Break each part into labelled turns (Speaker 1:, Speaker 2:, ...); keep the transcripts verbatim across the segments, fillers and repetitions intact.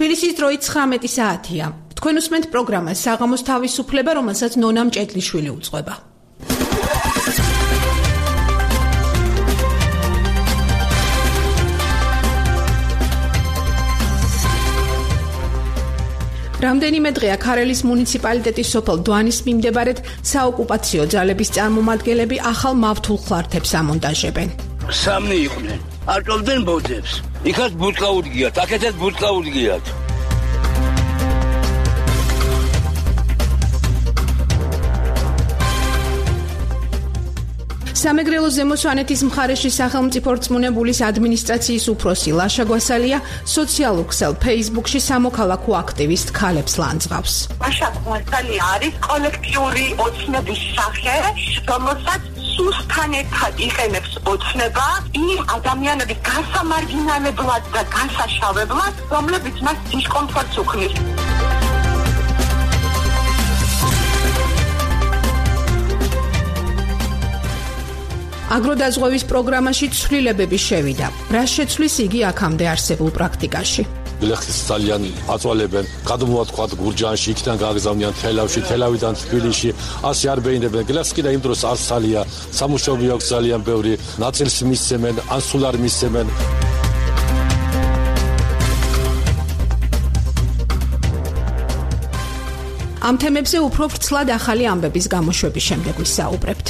Speaker 1: თბილისის დროით ცხრამეტი საათია. თქვენ უსმენთ პროგრამას საღამოს თავისუფლება, რომელსაც ნონა მჭედლიშვილი უძღვება. რამდენიმე დღეა ქარელის მუნიციპალიტეტის სოფელ დვანის მიმდებარედ საოკუპაციო ძალების წარმომადგენლები ახალ მავთულ ხლართებს ამონტაჟებენ.
Speaker 2: სამნი იყვნენ. არტოვდნენ ბოძებს. იქაც ბუტკა უდგიათ, აქეთაც ბუტკა უდგიათ.
Speaker 1: სამეგრელოს ზემო სვანეთის მხარეში სახელმწიფო რწმუნებულის ადმინისტრაციის უფროსი ლაშა გვასალია სოციალურ ქსელ Facebook-ში სამოქალაქო აქტივისტ ქალებს ლანძღავს.
Speaker 3: ლაშა გვასალია არის კოლექტიური ოცნების სახე, რომელსაც სუსთან ერთად იყენებს ოცნება იმ ადამიანების გასამარგინალებლად და გასაშავებლად, რომლებიც მას დისკომფორტს უქმნის.
Speaker 1: აგროდაზღვევის პროგრამაში ცვლილებები შევიდა. რა შეცვლის იგი აქამდე არსებულ პრაქტიკაში?
Speaker 4: გლეხის ძალიან აწვალებენ, გადმოვათქვათ გურჯაანში, იქიდან გააგზავნიან თელავში, თელავიდან თბილისში, ასე არ ბეინებენ. გლეხს კიდე იმ დროს არ სალია, სამუშაოები აქვს ძალიან ბევრი, ნაწილს მისცემენ, ან სულ არ მისცემენ.
Speaker 1: ამ თემებზე უფრო ვრცლად ახალი ამბების გამოშვების შემდეგ ვისაუბრებთ.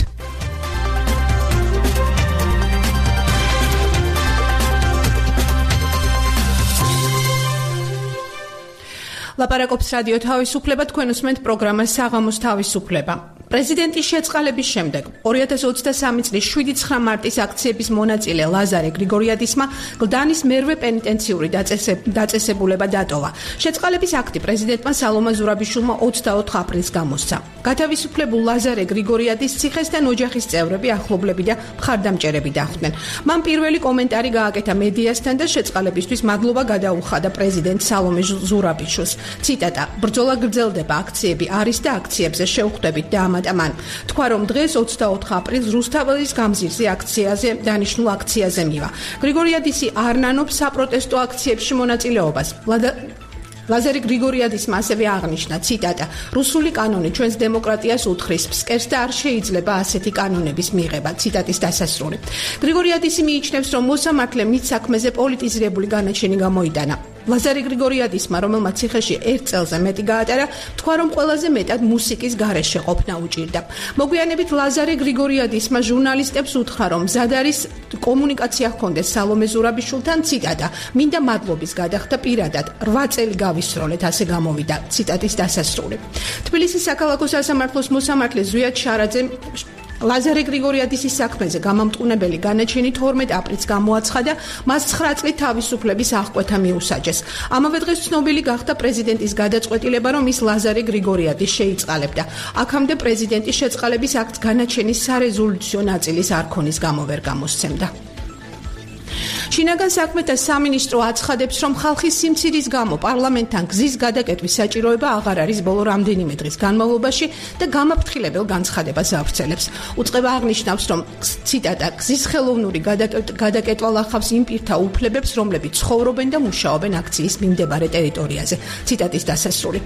Speaker 1: ლაპარაკობს რადიო თავისუფლება, თქვენ უსმენთ პროგრამას საღამოს თავისუფლება. პრეზიდენტის შეწყალების შემდეგ ორი ათას ოცდასამი წლის შვიდი ცხრა მარტის აქციების მონაწილე ლაზარე გრიგორიადისმა გლდანის მერვე პენიტენციური დაწესებულება დატოვა. შეწყალების აქტი პრეზიდენტმა სალომა ზურაბიშვილმა ოცდაოთხ აპრილს გამოსცა. გათავისუფლებულ ლაზარე გრიგორიადის ციხესთან ოჯახის წევრები, ახლობლები და მხარდამჭერები დახვდნენ. მან პირველი კომენტარი გააკეთა მედიასთან და შეწყალებისთვის მადლობა გადაუხადა პრეზიდენტ სალომე ზურაბიშვილს. ციტატა: ბრძოლა გრძელდება, აქციები არის და აქციებზე შევხვდებით და ამატა მან. თქვა რომ დღეს ოცდაოთხ აპრილს რუსთაველის გამზირზე აქციაზე დანიშნულ აქციაზე მივა. გრიგორიადისი არ ნანობს საპროტესტო აქციებში მონაწილეობას. ლაზარე გრიგორიადისმა ასევე აღნიშნა, ციტატა: რუსული კანონი ჩვენს დემოკრატიას უთხრის, ფსკერს და არ შეიძლება ასეთი კანონების მიღება. ციტატის დასასრული. გრიგორიადისი მიიჩნევს, რომ მოსამართლემ მის საქმეზე პოლიტიზირებული განაჩენი გამოიტანა. ლაზარე გრიგორიადისმა, რომელმაც ციხეში ერთ წელზე მეტი გაატარა, თქვა რომ ყველაზე მეტად მუსიკის გარეშე ყოფნა უჭირდა. მოგვიანებით ლაზარე გრიგორიადისმა ჟურნალისტებს უთხრა, რომ მზად არის კომუნიკაცია ჰქონდეს სალომე ზურაბიშვილთან, ციტატა: მინდა მადლობის გადახდა პირადად, რვა წელი გავისროლეთ, ასე გამოვიდა. ციტატის დასასრული. თბილისის საქალაქო სასამართლოს მოსამართლე ზვიად შარაძემ ლაზარე გრიგორიადისის საქმეზე გამამტყუნებელი განაჩენი თორმეტ აპრილს გამოაცხადა, მას ცხრა წლით თავისუფლების აღკვეთა მიუსაჯეს. ამავე დღეს ცნობილი გახდა პრეზიდენტის გადაწყვეტილება, რომ ის ლაზარე გრიგორიადის შეიწყალებდა. აქამდე პრეზიდენტის შეწყალების აქტს განაჩენის სარეზოლუციო ნაწილის არქონის გამო ვერ გამოსცემდა. შინაგან საქმეთა სამინისტრო აცხადებს, რომ ხალხის სიმცირის გამო პარლამენტთან გზის გადაკეტვის საჭიროება აღარ არის ბოლო რამდენიმე დღის განმავლობაში და გამაფრთხილებელ განცხადებას ავრცელებს. უწყება აღნიშნავს, რომ ციტატა: გზის ხელოვნური გადაკეტვა ლახავს იმ პირთა უფლებებს, რომლებიც ცხოვრობენ და მუშაობენ აქციის მიმდებარე ტერიტორიაზე. ციტატის დასასრული.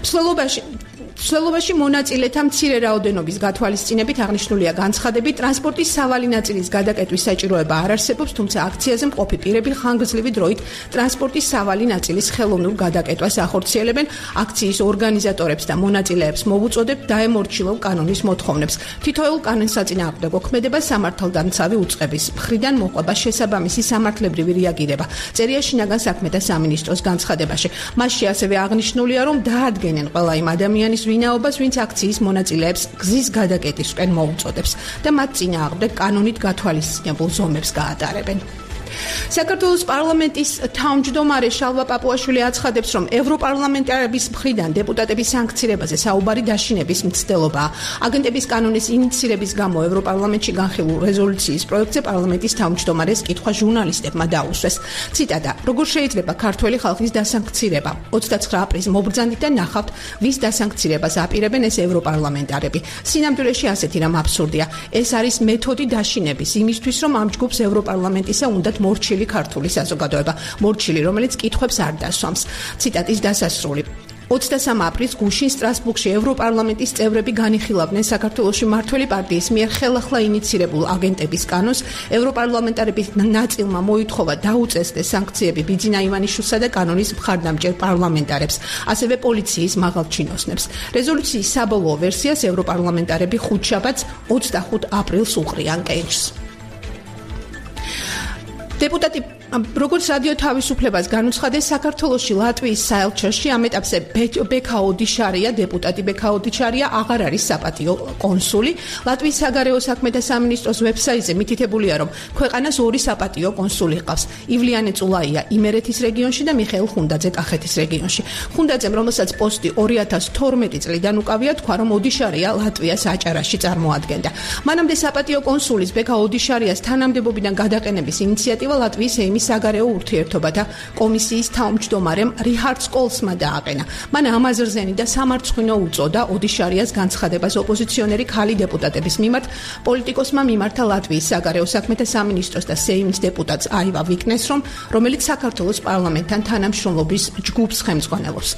Speaker 1: მსვლელობაში მსვლელობაში მონაწილეთა მცირე რაოდენობის გათვალისწინებით აღნიშნულია განცხადები, ტრანსპორტის სავალი ნაწილის გადაკეტვის საჭიროება არ არსებობს, თუმცა აქციაზე მყოფი პირები ხანგრძლივი დროით ტრანსპორტის სავალი ნაწილის ხელოვნურ გადაკეტვას ახორციელებენ. აქციის ორგანიზატორებს და მონაწილეებს მოვუწოდებთ დაემორჩილონ კანონის მოთხოვნებს. თითოეულ კანონსაწინააღმდეგო ქმედებას სამართალდამცავი უწყების მხრიდან მოყვება შესაბამისი სამართლებრივი რეაგირება. წერია შინაგან საქმეთა სამინისტროს განცხადებაში. მასში ასევე აღნიშნულია, რომ დაადგენენ ყველა იმ ადამიანის ვინაობას, ვინც აქციის მონაწილეებს გზის გადაკეტისკენ მოუწოდებს და მათ წინააღმდეგ კანონით გათვალისწინებულ ზომებს გაატარებენ. საქართველოს პარლამენტის თავმჯდომარე შალვა პაპუაშვილი აცხადებს, რომ ევროპარლამენტარების მხრიდან დეპუტატების სანქცირებაზე საუბარი დაშინების მცდელობაა. აგენტების კანონის ინიცირების გამო ევროპარლამენტში განხილულ რეზოლუციის პროექტზე პარლამენტის თავმჯდომარეს კითხვა ჟურნალისტებმა დაუსვეს. ციტატა: როგორ შეიძლება ქართველი ხალხის დასანქცირება? ოცდაცხრა აპრილს მობრძანდით და ნახავთ, ვის დასანქცირებას აპირებენ ეს ევროპარლამენტარები. სინამდვილეში ასეთი რამ აბსურდია. ეს არის მეთოდი დაშინების იმისთვის, რომ ამ ჯგუფს ევროპარლამენტისა უნდათ მორჩილი ქართული საზოგადოება, მორჩილი, რომელიც კითხვებს არ დასვამს. ციტატის დასასრული. ოცდასამი აპრილის გუშინ სტრასბურგში ევროპარლამენტის წევრები განიხილავდნენ საქართველოში მმართველი პარტიის მიერ ხელახლა ინიცირებულ აგენტების კანონს. ევროპარლამენტარების ნაწილმა მოითხოვა დაუწესდეს სანქციები ბიძინა ივანიშვილსა და კანონის მხარდამჭერ პარლამენტარებს, ასევე პოლიციის მაღალ ჩინოსნებს. რეზოლუციის საბოლოო ვერსიას ევროპარლამენტარები ხუთშაბათს ოცდახუთ აპრილს უყრიან კენჭს. დეპუტატი როგორც რადიო თავისუფლებას განუცხადეს, საქართველოში ლატვიის საელჩოში ამ ეტაპზე ბექა ოდიშარია, დეპუტატი ბექა ოდიშარია აღარ არის საპატიო კონსული. ლატვიის საგარეო საქმეთა სამინისტროს ვებსაიტზე მითითებულია, რომ ქვეყანას ორი საპატიო კონსული ჰყავს. ივლიანე წულაია იმერეთის რეგიონში და მიხეილ ხუნდაძე კახეთის რეგიონში. ხუნდაძემ, რომელსაც პოსტი ორი ათას თორმეტი წლიდან უკავია, თქვა, რომ ოდიშარია ლატვიას აჭარაში წარმოადგენდა. მანამდე საპატიო კონსულის ბექა ოდიშარიას თანამდებობიდან გადაყენების ინიციატივა ლატვიის ეიმის საგარეო ურთიერთობათა კომისიის თავმჯდომარემ რიჰარდ სკოლსმა დააყენა. მან ამაზრზენი და სამარცხვინო უწოდა ოდიშარიას განცხადებას ოპოზიციონერი ქალი დეპუტატების მიმართ. პოლიტიკოსმა მიმართა ლატვიის საგარეო საქმეთა სამინისტროს და სეიმის დეპუტატს აივა ვიკნეს, რომ რომელიც საქართველოს პარლამენტთან თანამშრომლობის ჯგუფს ხელმძღვანელობს.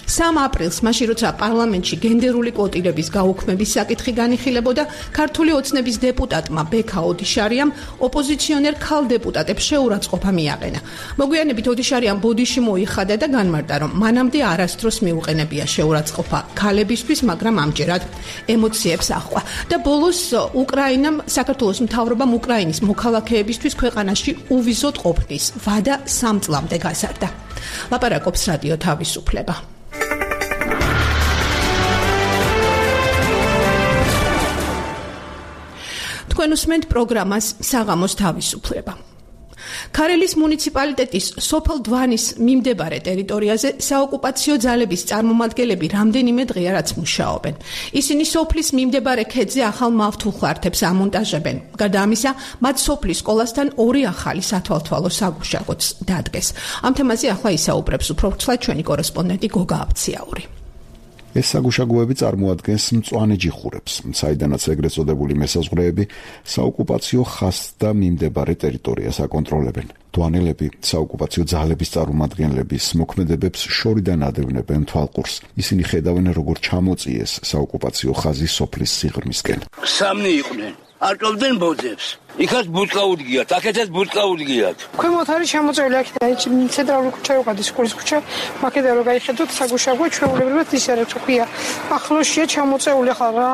Speaker 1: სამი აპრილს, მაშინ როცა პარლამენტში გენდერული კვოტირების გაუქმების საკითხი განიხილებოდა, ქართული ოცნების დეპუტატმა ბექა ოდიშარიამ ოპოზიციონერ ქალ დეპუტატებს შეურაცხყოფა მიაყენა. მოგვიანებით ოდიშარიამ ბოდიში მოიხადა და განმარტა, რომ მანამდე არასდროს მიუყენებია შეურაცხყოფა ქალებისთვის, მაგრამ ამჯერად ემოციებს აჰყვა. და ბოლოს უკრაინამ, საქართველოს მთავრობამ უკრაინის მოქალაქეებისთვის ქვეყანაში უვიზოდ ყოფნის ვადა სამ წლამდე გაზარდა. ლაპარაკობს რადიო თავისუფლება. თქვენ უსმენთ პროგრამას საღამოს თავისუფლება. ქარელის მუნიციპალიტეტის სოფელ დვანის მიმდებარე ტერიტორიაზე საოკუპაციო ძალების წარმომადგენლები რამდენიმე დღეა რაც მუშაობენ. ისინი სოფლის მიმდებარე ქედზე ახალ მავთულხარდებს ამონტაჟებენ. გარდა ამისა, მათ სოფლის სკოლასთან ორი ახალი სათვალთვალო საგუშაგოც დადგეს. ამ თემაზე ახლა ისაუბრებს უფრო ვრცლად ჩვენი კორესპონდენტი გოგა აბციაური.
Speaker 5: ეს საგუშაგოები წარმოადგენს მწვანე ჯიხურებს, საიდანაც ეგრეთ წოდებული მესაზღვრეები საოკუპაციო ხაზს და მიმდებარე ტერიტორიას აკონტროლებენ. დვანელები საოკუპაციო ძალების წარმომადგენლების მოქმედებებს შორიდან ადევნებენ თვალყურს. ისინი ხედავენ, როგორ ჩამოწიეს საოკუპაციო ხაზის სოფლის სიღრმისკენ.
Speaker 2: სამნი იყვნენ. არკობდნენ ბოძებს. იქაც ბუტკა უდგიათ, აქეთაც ბუტკა უდგიათ.
Speaker 6: ქვემოთ არის ჩამოწეული აქედან ცენტრალური ქუჩა ვიყავდი, სკოლის ქუჩა, აქედან რო გაიხედოთ საგუშაგო ჩვეულებრივად ის არის თქვია. ახლოსია ჩამოწეული ხარ რა,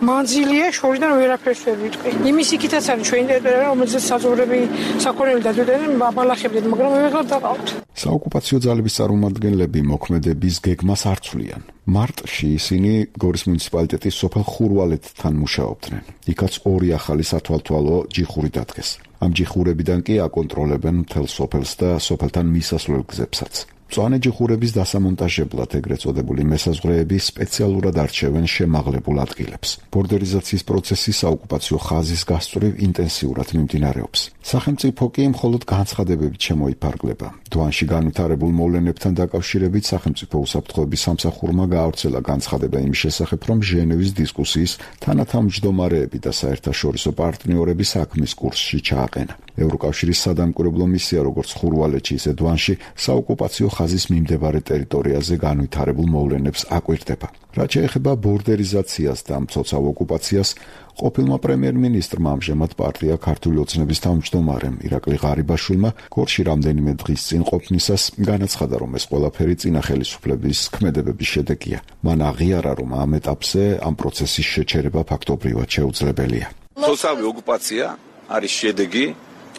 Speaker 6: მანძილია შორიდან ვერაფერს ვერ ვიტყვი. იმის იქითაც არის ჩვენი ტერიტორია, რომელზეც საზღვრები საქონელი დადვდნენ, აბალახებდნენ, მაგრამ მე ვეღარ დავყავთ.
Speaker 5: საოკუპაციო ძალების წარმომადგენლები მოქმედების გეგმას არ ცვლიან. მარტში ისინი გორის მუნიციპალიტეტის სოფელ ხურვალეთთან მუშაობდნენ. იქაც ორი ახალი სათვალთვალო ჯიხური დადგეს. ამ ჯიხურებიდან კი აკონტროლებენ მთელ სოფელს და სოფელთან მისასვლელ გზებსაც. მწვანე ჯიხურების დასამონტაჟებლად ეგრეთ წოდებული მესაზღვრეები სპეციალურად არჩევენ შემაღლებულ ადგილებს. ბორდერიზაციის პროცესი საოკუპაციო ხაზის გასწვრივ ინტენსიურად მიმდინარეობს. სახელმწიფო კი მხოლოდ განცხადებებით შემოიფარგლება. დვანში განვითარებულ მოვლენებთან დაკავშირებით სახელმწიფო უსაფრთხოების სამსახურმა გაავრცელა განცხადება იმის შესახებ, რომ ჟენევის დისკუსიის თანათავმჯდომარეები და საერთაშორისო პარტნიორები საქმის კურსში ჩააყენა. ევროკავშირის სადამკვირვებლო მისია როგორც ხურვალეთში, ისე დვანში საოკუპაციო ხაზის მიმდებარე ტერიტორიაზე განვითარებულ მოვლენებს აკვირდება. რაც შეეხება ბორდერიზაციას და მცოცავ ოკუპაციას, ყოფილმა პრემიერ-მინისტრმა ამჟამად პარტია ქართული ოცნების თავმჯდომარემ ირაკლი ღარიბაშვილმა გორში რამდენიმე დღის წინ ყოფნისას განაცხადა, რომ ეს ყველაფერი წინა ხელისუფლების ქმედებების შედეგია. მან აღიარა, რომ ამ ეტაპზე ამ პროცესის შეჩერება ფაქტობრივად შეუძლებელია.
Speaker 7: მცოცავი ოკუპაცია არის შედეგი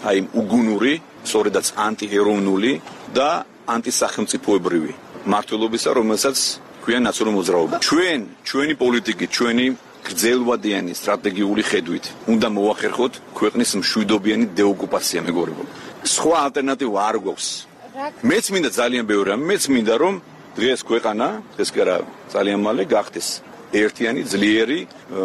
Speaker 7: აი უგუნური, სწორედაც ანტიეროვნული და ანტისახელმწიფოებრივი მართლობისა, რომელსაც ქვია ნაციონალური მოძრაობა. ჩვენ, ჩვენი პოლიტიკით, ჩვენი გრძელვადიანი სტრატეგიული ხედვით უნდა მოახერხოთ ქვეყნის მშვიდობიანი დეოკუპაცია, მეგობრებო. სხვა ალტერნატივა არ გვაქვს. მეც მინდა ძალიან ბევრი რამე, მეც მინდა რომ დღეს ქვეყანა, ეს კი არა ძალიან მალე გახდეს ერთიანი, ძლიერი,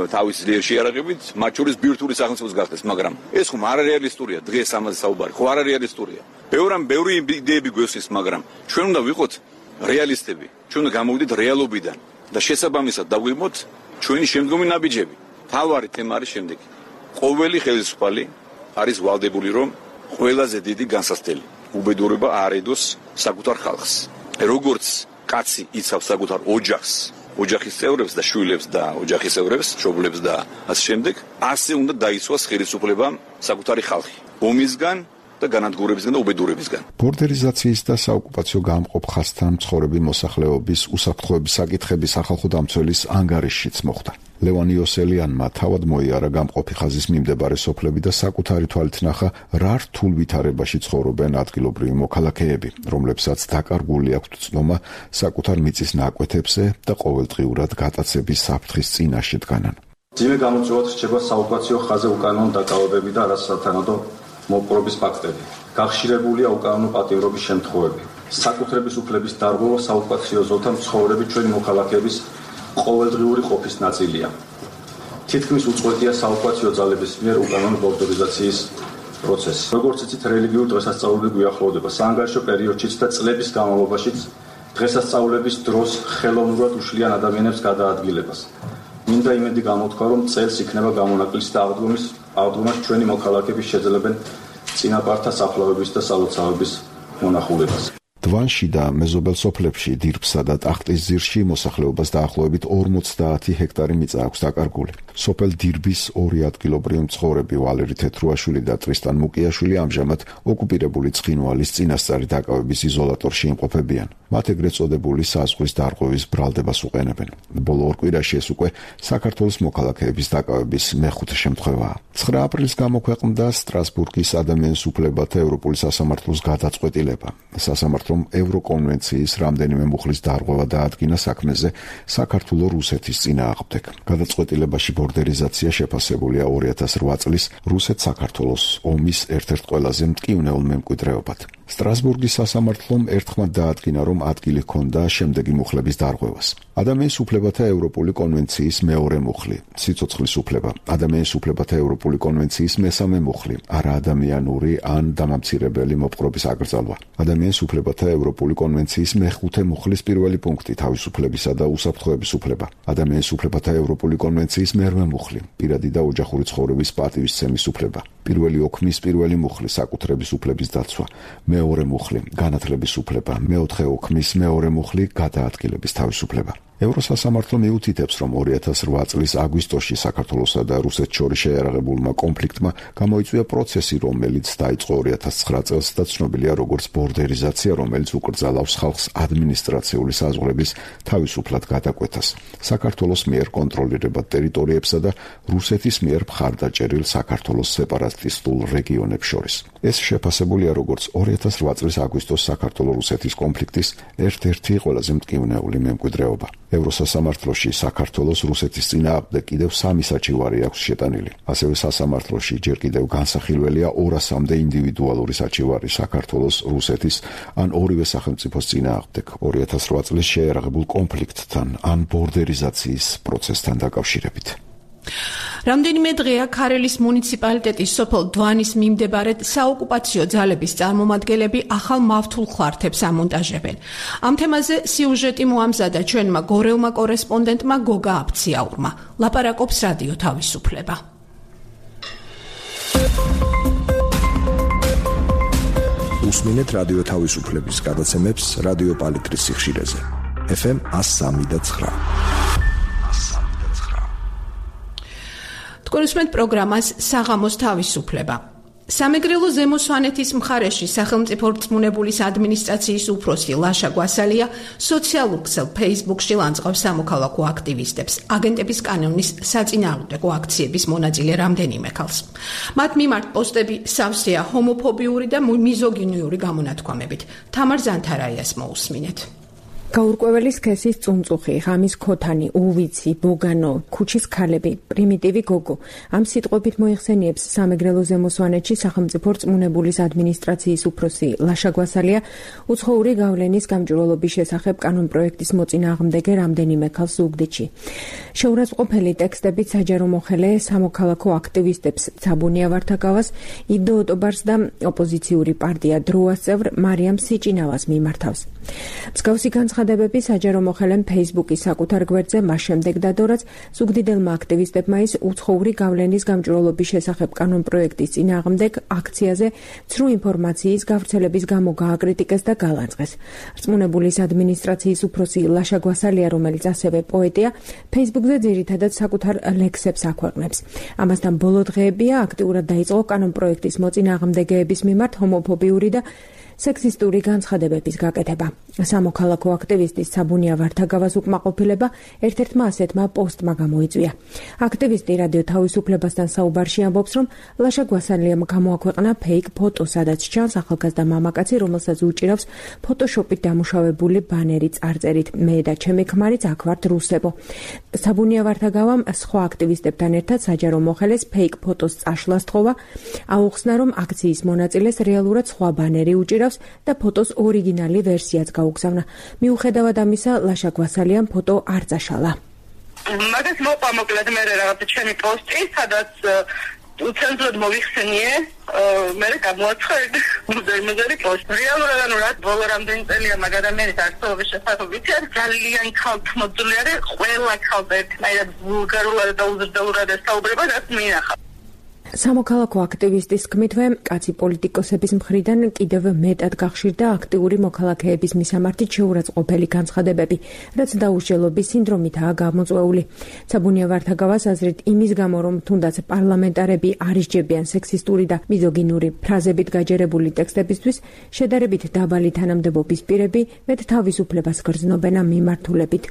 Speaker 7: თავის ძლიერ შეიარაღებით, მათ შორის ბირთვული სახელმწიფოს გახდეს, მაგრამ ეს ხომ არარეალისტურია, დღეს ამაზე საუბარი, ხო არარეალისტურია. ბევრამ ბევრი იდეები გვესვის, მაგრამ ჩვენ უნდა ვიყოთ რეალისტები. ჩვენ უნდა გამოვიდეთ რეალობიდან და შესაბამისად დავგვიმოთ ჩვენი შემდგომი ნაბიჯები. თავარი თემა არის შემდეგი. ყოველი ხელისუფალი არის ვალდებული, რომ ყველაზე დიდი განსასწრელი. უბედურება არ ედოს საკუთარ ხალხს. როგორც კაცი იცავს საკუთარ ოჯახს, ოჯახის წევრებს და შვილებს და ოჯახის წევრებს, მშობლებს და ასე შემდეგ, ასე უნდა დაიცვას ხელისუფლება საკუთარი ხალხი. ომისგან და განადგურებისგან და უბედურებისგან.
Speaker 5: ბორდერიზაციის და საოკუპაციო გამყოფ ხაზთან მცხოვრები მოსახლეობის უსაფრთხოების საკითხების სახალხო დამცველის ანგარიშშიც მოხვდა. ლევან იოსელიანმა თავად მოიარა გამყოფი ხაზის მიმდებარე სოფლები და საკუთარი თვალით ნახა, რა რთულ ვითარებაში ცხოვრობენ ადგილობრივი მოქალაქეები, რომლებსაც დაკარგული აქვთ ცნობა საკუთარ მიწის ნაკვეთებზე და ყოველდღიურად გატაცების საფრთხის წინაშე დგანან.
Speaker 8: ძიმე გამოწვევად რჩება საოკუპაციო ხაზზე უკანონო დაკავებები და არასათანადო მოპყრობის ფაქტები. გახშირებულია უკანონო პატიმრობის შემთხვევები. საკუთრების უფლების დარღვევა საოკუპაციო ზოლთან მცხოვრები ჩვენი მოქალაქეების ყოველდღიური ყოფის ნაწილია. თითქმის უწყვეტია საოკუპაციო ძალების მიერ უკანონო ბორდერიზაციის პროცესი. როგორც იცით, რელიგიური დღესასწაულები გვიახლოვდება საანგარიშო პერიოდშიც და წლების განმავლობაშიც დღესასწაულების დროს ხელოვნურად უშლიან ადამიანებს გადაადგილებას. მინდა იმედი გამოთქვა, რომ წელს იქნება გამონაკლისი და აღდგომის აღდგომას ჩვენი მოქალაქეები შეძლებენ წინაპართა საფლავების და სალოცავების მონახულებას.
Speaker 5: დვანში და მეზობელ სოფლებში, დირბსა და ტახტის ძირში მოსახლეობას დაახლოებით ორმოცდაათი ჰექტარი მიწა აქვს დაკარგული. სოფელ დირბის ორი ადგილობრივი მცხოვრები ვალერი თეთრუაშვილი და ტრისტან მუკიაშვილი ამჟამად ოკუპირებული ცხინვალის წინასწარი დაკავების იზოლატორში იმყოფებიან. მათ ეგრეთ წოდებული საზღვრის დარღვევის ბრალდებას უყენებენ. ბოლო ორ კვირაში ეს უკვე საქართველოს მოქალაქეების დაკავების მეხუთე შემთხვევაა. ცხრა აპრილის გამოქვეყნდა სტრასბურგის ადამიანის უფლებათა ევროპული სასამართლოს გადაწყვეტილება. სასამართლომ ევროკონვენციის რამდენიმე მუხლის დარღვევა დაადგინა საქმეზე საქართველოს რუსეთის წინააღმდეგ. გადაწყვეტილებაში ბორდერიზაცია შეფასებულია ორი ათას რვა წლის რუსეთ-საქართველოს ომის ერთ-ერთ ყველაზე მტკივნეულ მემკვიდრეობად. სტრასბურგის სასამართლომ ერთხმად დაადგინა, რომ ადგილი ჰქონდა შემდეგი მუხლების დარღვევას. ადამიანის უფლებათა ევროპული კონვენციის მეორე მუხლი, სიცოცხლის უფლება, ადამიანის უფლებათა ევროპული კონვენციის მესამე მუხლი, არაადამიანური ან დამამცირებელი მოპყრობის აკრძალვა, ადამიანის უფლებათა ევროპული კონვენციის მეხუთე მუხლის პირველი პუნქტი, თავისუფლებისა და უსაფრთხოების უფლება, ადამიანის უფლებათა ევროპული კონვენციის მერვე მუხლი, პირადი და ოჯახური ცხოვრების პატივისცემის უფლება, პირველი ოქმის პირველი მუხლი, საკუთრების უფლების დაცვა, მეორე მუხლი, განათლების უფლება, მეოთხე ოქმის მეორე მუხლი, გადაადგილების თავისუფლება. ევროსასამართლო მიუთითებს, რომ ორი ათას რვა წლის აგვისტოში საქართველოსა და რუსეთს შორის შეიარაღებულმა კონფლიქტმა გამოიწვია პროცესი, რომელიც დაიწყო ორი ათას ცხრა წელს და ცნობილია როგორც ბორდერიზაცია, რომელიც უკრძალავს ხალხს ადმინისტრაციული საზღვრების თავისუფლად გადაკვეთას, საქართველოს მიერ კონტროლირებად ტერიტორიებსა და რუსეთის მიერ მხარდაჭერილ საქართველოს სეპარატისტულ რეგიონებს შორის. ეს შეფასებულია როგორც ორი ათას რვა წლის აგვისტოს საქართველოს-რუსეთის კონფლიქტის ერთ-ერთი ყველაზე მტკივნეული მემკვიდრეობა. ევროსასამართლოში საქართველოს რუსეთის წინააღმდეგ კიდევ სამი საჩივარი აქვს შეტანილი. ასევე სასამართლოში ჯერ კიდევ განსახილველია ორასამდე ინდივიდუალური საჩივარი საქართველოს, რუსეთის ან ორივე სახელმწიფოს წინააღმდეგ ორი ათას რვა წლის შეიარაღებულ კონფლიქტთან ან ბორდერიზაციის პროცესთან დაკავშირებით.
Speaker 1: რამდენიმე დღეა ქარელის მუნიციპალიტეტის სოფელ დვანის მიმდებარედ საოკუპაციო ძალების წარმომადგენლები ახალ მავთულ ხვართებს ამონტაჟებენ. ამ თემაზე სიუჟეტი მოამზადა ჩვენმა გორელმა კორესპონდენტმა გოგა აფციაურმა. ლაპარაკობს რადიო თავისუფლება.
Speaker 9: უსმინეთ რადიო თავისუფლების გადაცემებს რადიო პალიტრის სიხშირეზე. ეფ ემ ას სამი და ცხრა.
Speaker 1: თქვენ უსმენთ პროგრამას საღამოს თავისუფლება. სამეგრელო ზემო სვანეთის მხარეში სახელმწიფო რწმუნებულის ადმინისტრაციის უფროსი ლაშა გვასალია სოციალურ ქსელ Facebook-ში ლანძღავს სამოქალაქო აქტივისტებს, აგენტების კანონის საწინააღმდეგო აქციების მონაწილე რამდენიმე ქალს. მათ მიმართ პოსტები სავსეა ჰომოფობიური და მიზოგინიური გამონათქვამებით. თამარ ზანთარაიას მოусმინეთ.
Speaker 10: გაურკვეველი სქესის წუნწუხი, ღამის ქოთანი, უვიცი, ბოგანო, ქუჩის ქალები, პრიმიტივი გოგო. ამ სიტყვებით მოიხსენიებს სამეგრელო ზემო სვანეთში სახელმწიფო რწმუნებულის ადმინისტრაციის უფროსი ლაშა გვასალია უცხოური გავლენის გამჭვირვალობის შესახებ კანონპროექტის მოწინააღმდეგე რამდენიმე ქალს ზუგდიდში. შეურაცხმყოფელი ტექსტებით საჯარო მოხელე სამოქალაქო აქტივისტებს ცაბუნია ვართაგავას, იდო ოტობარს და ოპოზიციური პარტია დროას წევრ მარიამ სიჭინავას მიმართავს. მსგავსი განცხადებები საჯარო მოხელემ Facebook-ის საკუთარ გვერდზე მას შემდეგ დადო, რაც ზუგდიდელმა აქტივისტებმა ის უცხოური გავლენის გამჭვირვალობის შესახებ კანონპროექტის წინააღმდეგ აქციაზე ცრუ ინფორმაციის გავრცელების გამო გააკრიტიკეს და გალანძღეს. რწმუნებულის ადმინისტრაციის უფროსი ლაშა გვასალია, რომელიც ასევე პოეტია, Facebook-ზე ძირითადად საკუთარ ლექსებს აქვეყნებს. ამასთან ბოლო დღეებია აქტიურად დაიწყო კანონპროექტის მოწინააღმდეგეების მიმართ ჰომოფობიური და სექსისტური განცხადებების გაკეთება. სამოქალაქო აქტივისტის საბუნია ვართაგავას უკმაყოფილება ერთ-ერთმა ასეთმა პოსტმა გამოიწვია. აქტივისტი რადიო თავისუფლებასთან საუბარში ამბობს, რომ ლაშა გვასალიამ გამოაქვეყნა ფეიქ ფოტო, სადაც ჩანს ახალგაზრდა მამაკაცი, რომელსაც უჭირავს ფოტოშოპით დამუშავებული ბანერი წარწერით „მე და ჩემი ქმარიც აქ ვართ რუსებო“. საბუნია ვართაგავამ სხვა აქტივისტებთან ერთად საჯარო მოხელეს ფეიქ ფოტოს წაშლა სთხოვა, აუხსნა, რომ აქციის მონაწილეს რეალურად სხვა ბანერი უჭირავს და ფოტოს ორიგინალი ვერსიაც გაუგზავნა. მიუხედავად ამისა, ლაშა გვასალიამ ფოტო არ წაშალა.
Speaker 3: მაგას მოყვა მოკლედ მე რაღაცა ჩემი პოსტი, სადაც უცენზურად მოვიხსენიე, მე გამოაცხადე მუზეუმური პოსტი. რეალურად ანუ რა ბოლო რამდენი წელია მაგ ადამიანის არსებობის შესახებ ვიცი, ძალიან ქალთმოძული არის, ყველა ქალს ერთნაირად ვულგარულად და უზრდელურად ესაუბრება, რაც მინახავს.
Speaker 10: სამოქალაქო აქტივისტის თქმითვე, კაცი პოლიტიკოსების მხრიდან კიდევ მეტად გახშირდა აქტიური მოქალაქეების მისამართით შეურაცხყოფელი განცხადებები, რაც დაუსჯელობის სინდრომითაა გამოწვეული. საბუნია ვართაგავას აზრით, იმის გამო, რომ თუნდაც პარლამენტარები არ ისჯებიან სექსისტური და მიზოგინური ფრაზებით გაჯერებული ტექსტებისთვის, შედარებით დაბალი თანამდებობის პირები მეტ თავისუფლებას გრძნობენ ამ მიმართულებით.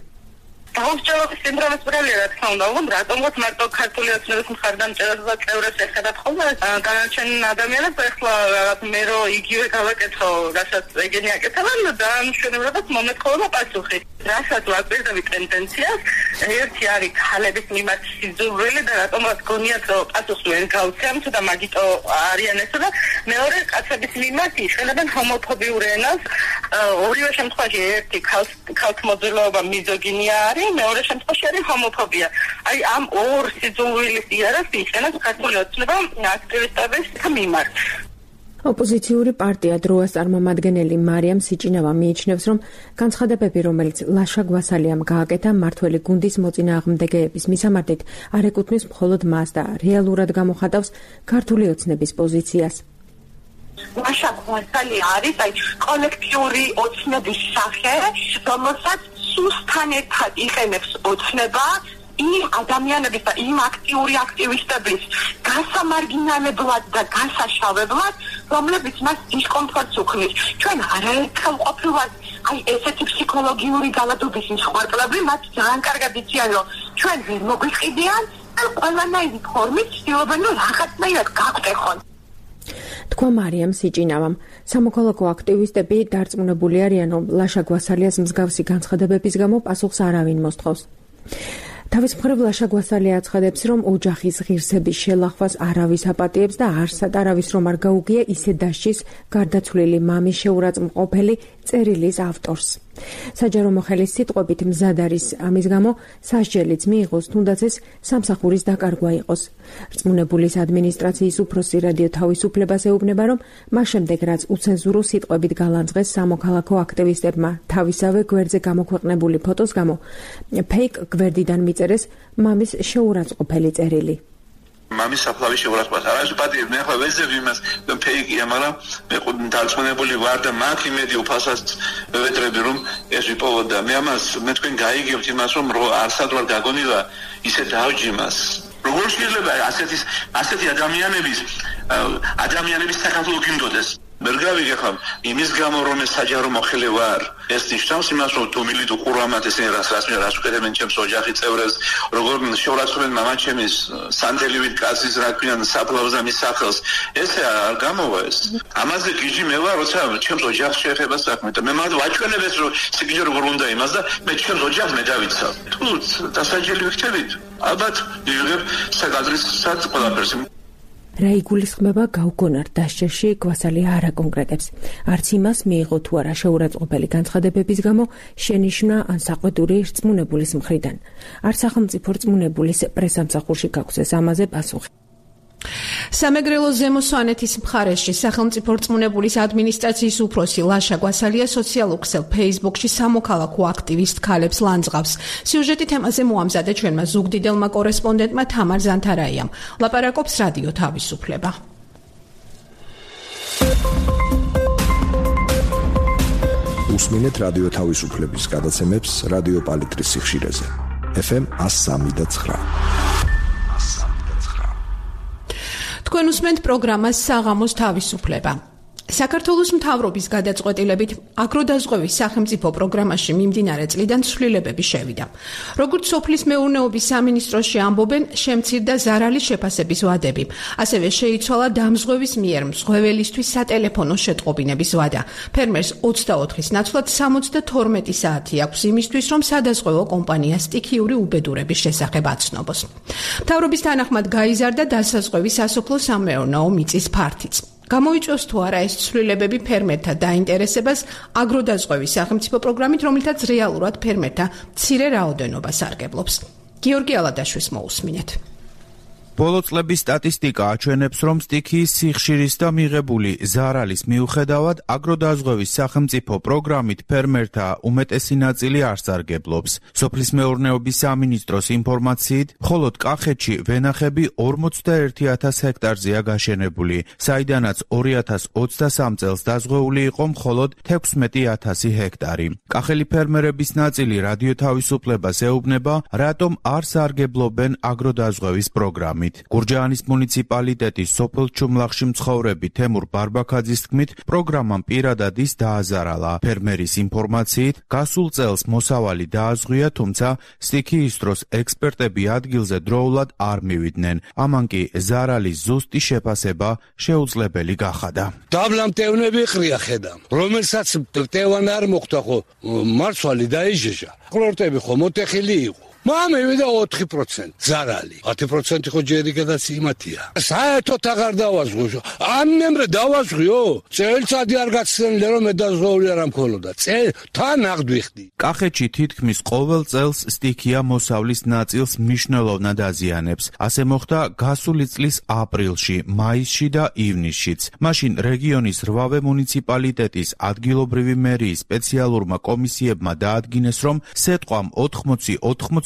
Speaker 3: დაუსჯელობის სინდრომის პრობლემა რა თქმა უნდა, რომ რატომღაც მარტო ქართული ოცნების მხარდამჭერებს და წევრებს ეხება ხოლმე განაჩენ ადამიანებს, ეხლა რაღაც მე რო იგივე გავაკეთო, რასაც ეგენი აკეთებენ და მშვენივრად მომეთხოვება პასუხი. რასაც ვაკვირდები ტენდენციას, ერთი არის ქალების მიმართ სიძულვილი და რატომღაც გონიათ რომ პასუხს ვერ გავცემთ და მაგიტო არიან ესა და მეორე კაცების მიმართ იყენებენ ჰომოფობიურ ენას. ორივე შემთხვევაში ერთი ქალთმოძილეობა მიზოგინია არის, მეორე შემთხვევაში არის ჰომოფობია. აი ამ ორ სიძულვილის იარაღს იყენებს ქართული ოცნება აქტივისტების მიმართ.
Speaker 10: ოპოზიციური პარტია დროას წარმომადგენელი მარიამ სიჭინავა მიიჩნევს, რომ განცხადებები, რომელიც ლაშა გვასალიამ გააკეთა მმართველი გუნდის მოწინააღმდეგეების მისამართით, არ ეკუთვნის მხოლოდ მას და რეალურად გამოხატავს ქართული ოცნების პოზიციას.
Speaker 3: ლაშა გვასალია არის აი კოლექტიური ოცნების სახე, რომელსაც სუსთან ერთად იყენებს ოცნება იმ ადამიანების და იმ აქტიური აქტივისტების გასამარგინალებლად და გასაშავებლად, რომლებიც მას დისკომფორტს უქმნის. ჩვენ არაერთხელ ყოფილვართ აი ესეთი ფსიქოლოგიური გალადობის მსხვერპლები, მათ ძალიან კარგად იციან, რომ ჩვენ ვერ მოგვიყიდიან და ყველანაირი ფორმით ცდილობენ, რომ რაღაცნაირად გაგვტეხონ.
Speaker 10: თქვა მარიამ სიჭინავამ. სამოქალაქო აქტივისტები დარწმუნებული არიან, რომ ლაშა გვასალიას მსგავსი განცხადებების გამო პასუხს არავინ მოსთხოვს. თავის მხრივ ლაშა გვასალია აცხადებს, რომ ოჯახის ღირსების შელახვას არავის აპატიებს და არსად არავის რომ არ გაუგია ისე დასჯის გარდაცვლილი მამის შეურაცხმყოფელი წერილის ავტორს. საჯარო მოხელის სიტყვებით მზად არის ამის გამო სასჯელიც მიიღოს, თუნდაც ეს სამსახურის დაკარგვა იყოს. რწმუნებულის ადმინისტრაციის უფროსი რადიო თავისუფლებას ეუბნება, რომ მას შემდეგ რაც უცენზურო სიტყვებით გალანძღეს სამოქალაქო აქტივისტებმა თავისავე გვერდზე გამოქვეყნებული ფოტოს გამო, ფეიქ გვერდიდან მიწერეს მამის შეურაცხყოფელი წერილი.
Speaker 11: მამის საფლავის შეურაცხყოფას არასდროს პატიებ, მე ხო ვეძებ იმას, ფეიქია, მაგრამ მე დარწმუნებული ვარ და მაგ იმედი უფალსაც ვეტრები, რომ ეს ვიპოვოთ და მე ამას მე თქვენ გაიგებთ იმას, რომ არსად ვარ გაგონილა ისე დავჯიმას. როგორ შეიძლება ასეთი ასეთი ადამიანების ადამიანების საქართველოს გინდოდეს? ვერ გავიგე ხომ იმის გამო რომ ეს საჯარო მოხელე ვარ, ეს ნიშნავს იმას, რომ თუ მილით უყურამათ ესენი რას რას რას უკეთებენ ჩემს ოჯახის წევრებს, როგორ შეურაცხყოფენ მამაჩემის სანდელივით კაცის რა ქვიან საფლავს და მის სახელს, ესე არ გამოვა ეს. ამაზე გიჟი მე ვარ, როცა ჩემს ოჯახს შეეხება საქმე და მე მათ ვაჩვენებ ეს რომ სიგიჟე როგორ უნდა იმას და მე ჩემს ოჯახს მე დავიცავ. თუ დასაჯელი ვიქცევით, ალბათ იღებ საკადრისაც ყველაფერს.
Speaker 10: რა იგულისხმება გაუგონარ დასჯაში, გვასალია არ აკონკრეტებს. არც იმას მიიღო თუ არა შეურაცხყოფელი განცხადებების გამო შენიშვნა ან საყვედური რწმუნებულის მხრიდან. არ სახელმწიფო რწმუნებულის პრესამსახურში გაქვს ეს ამაზე პასუხი.
Speaker 1: სამეგრელოს ზემო სვანეთის მხარეში სახელმწიფო რწმუნებულის ადმინისტრაციის უფროსი ლაშა გვასალია სოციალურ ქსელ Facebook-ში სამოქალაქო აქტივისტ ქალებს ლანძღავს. სიუჟეტი თემაზე მოამზადა ჩვენმა ზუგდიდელმა კორესპონდენტმა თამარ ზანთარაიამ. ლაპარაკობს რადიო თავისუფლება.
Speaker 9: უსმინეთ რადიო თავისუფლების გადაცემებს რადიო პალიტრის სიხშირეზე. ეფ ემ one oh three point nine.
Speaker 1: თქვენ უსმენთ პროგრამას საღამოს თავისუფლება. საქართველოს მთავრობის გადაწყვეტილებით აგროდაზღვევის სახელმწიფო პროგრამაში მიმდინარე წლიდან ცვლილებები შევიდა. როგორც სოფლის მეურნეობის სამინისტროში ამბობენ, შემცირდა ზარალის შეფასების ვადები. ასევე შეიცვალა დამზღვევის მიერ მზღვეველისთვის სატელეფონო შეტყობინების ვადა. ფერმერს ოცდაოთხის ნაცვლად სამოცდათორმეტი საათი აქვს იმისთვის, რომ სადაზღვევო კომპანია სტიქიური უბედურების შესახებ აცნობს. მთავრობის თანახმად გაიზარდა დასაზღვევის სასოფლო სამეურნეო მიწის ფართიც. გამოიწვევს თუ არა ეს ცვლილებები ფერმერთა დაინტერესებას აგროდაზღვევის სახელმწიფო პროგრამით, რომლითაც რეალურად ფერმერთა მცირე რაოდენობას სარგებლობს. გიორგი ალადაშვილს მოусმინეთ.
Speaker 12: ბოლო წლების სტატისტიკა აჩვენებს, რომ სტიქიის სიხშირის და მიღებული ზარალის მიუხედავად აგროდაზღვევის სახელმწიფო პროგრამით ფერმერთა უმეტესი ნაწილი არ სარგებლობს. სოფლის მეურნეობის სამინისტროს ინფორმაციით, მხოლოდ კახეთში ვენახები ორმოცდაერთი ათას ჰექტარზეა გაშენებული, საიდანაც ორი ათას ოცდასამ წელს დაზღვეული იყო მხოლოდ თექვსმეტი ათასი ჰექტარი. კახელი ფერმერების ნაწილი რადიო თავისუფლებას ეუბნება, რატომ არ სარგებლობენ აგროდაზღვევის პროგრამით. გურჯაანის მუნიციპალიტეტის სოფელ ჩუმლახში მცხოვრები თემურ ბარბაქაძის თქმით, პროგრამამ პირადად ის დააზარალა. ფერმერის ინფორმაციით, გასულ წელს მოსავალი დააზღვია, თუმცა სტიქიის დროს ექსპერტები ადგილზე დროულად არ მივიდნენ. ამან კი ზარალის ზუსტი შეფასება შეუძლებელი გახადა.
Speaker 2: დაბლამტევნები ყრია ხედამ, რომელსაც მტევან არ მოხდა ხო მარცვალი დაიჟეჟა. ყლორტები ხო მოტეხილი იყო. მამევიდა ოთხი პროცენტი ზარალი. ათი პროცენტი ხო ჯერი გადაც იმათია. საერთოდ აღარ დავაზღვიო. ამ მემრე დავაზღვიო. წელიწადი არ გაცნელი რომ მედაზღვეული არ ამქოლოდა. წელ თან აღდვიხდი.
Speaker 12: კახეთში თითქმის ყოველ წელს სტიქია მოსავლის ნაწილს მნიშვნელოვნად აზიანებს. ასე მოხდა გასული წლის აპრილში, მაისში და ივნისშიც. მაშინ რეგიონის რვავე მუნიციპალიტეტის ადგილობრივი მერიის სპეციალურმა კომისიებმა დაადგინეს, რომ სეტყვამ ოთხმოცი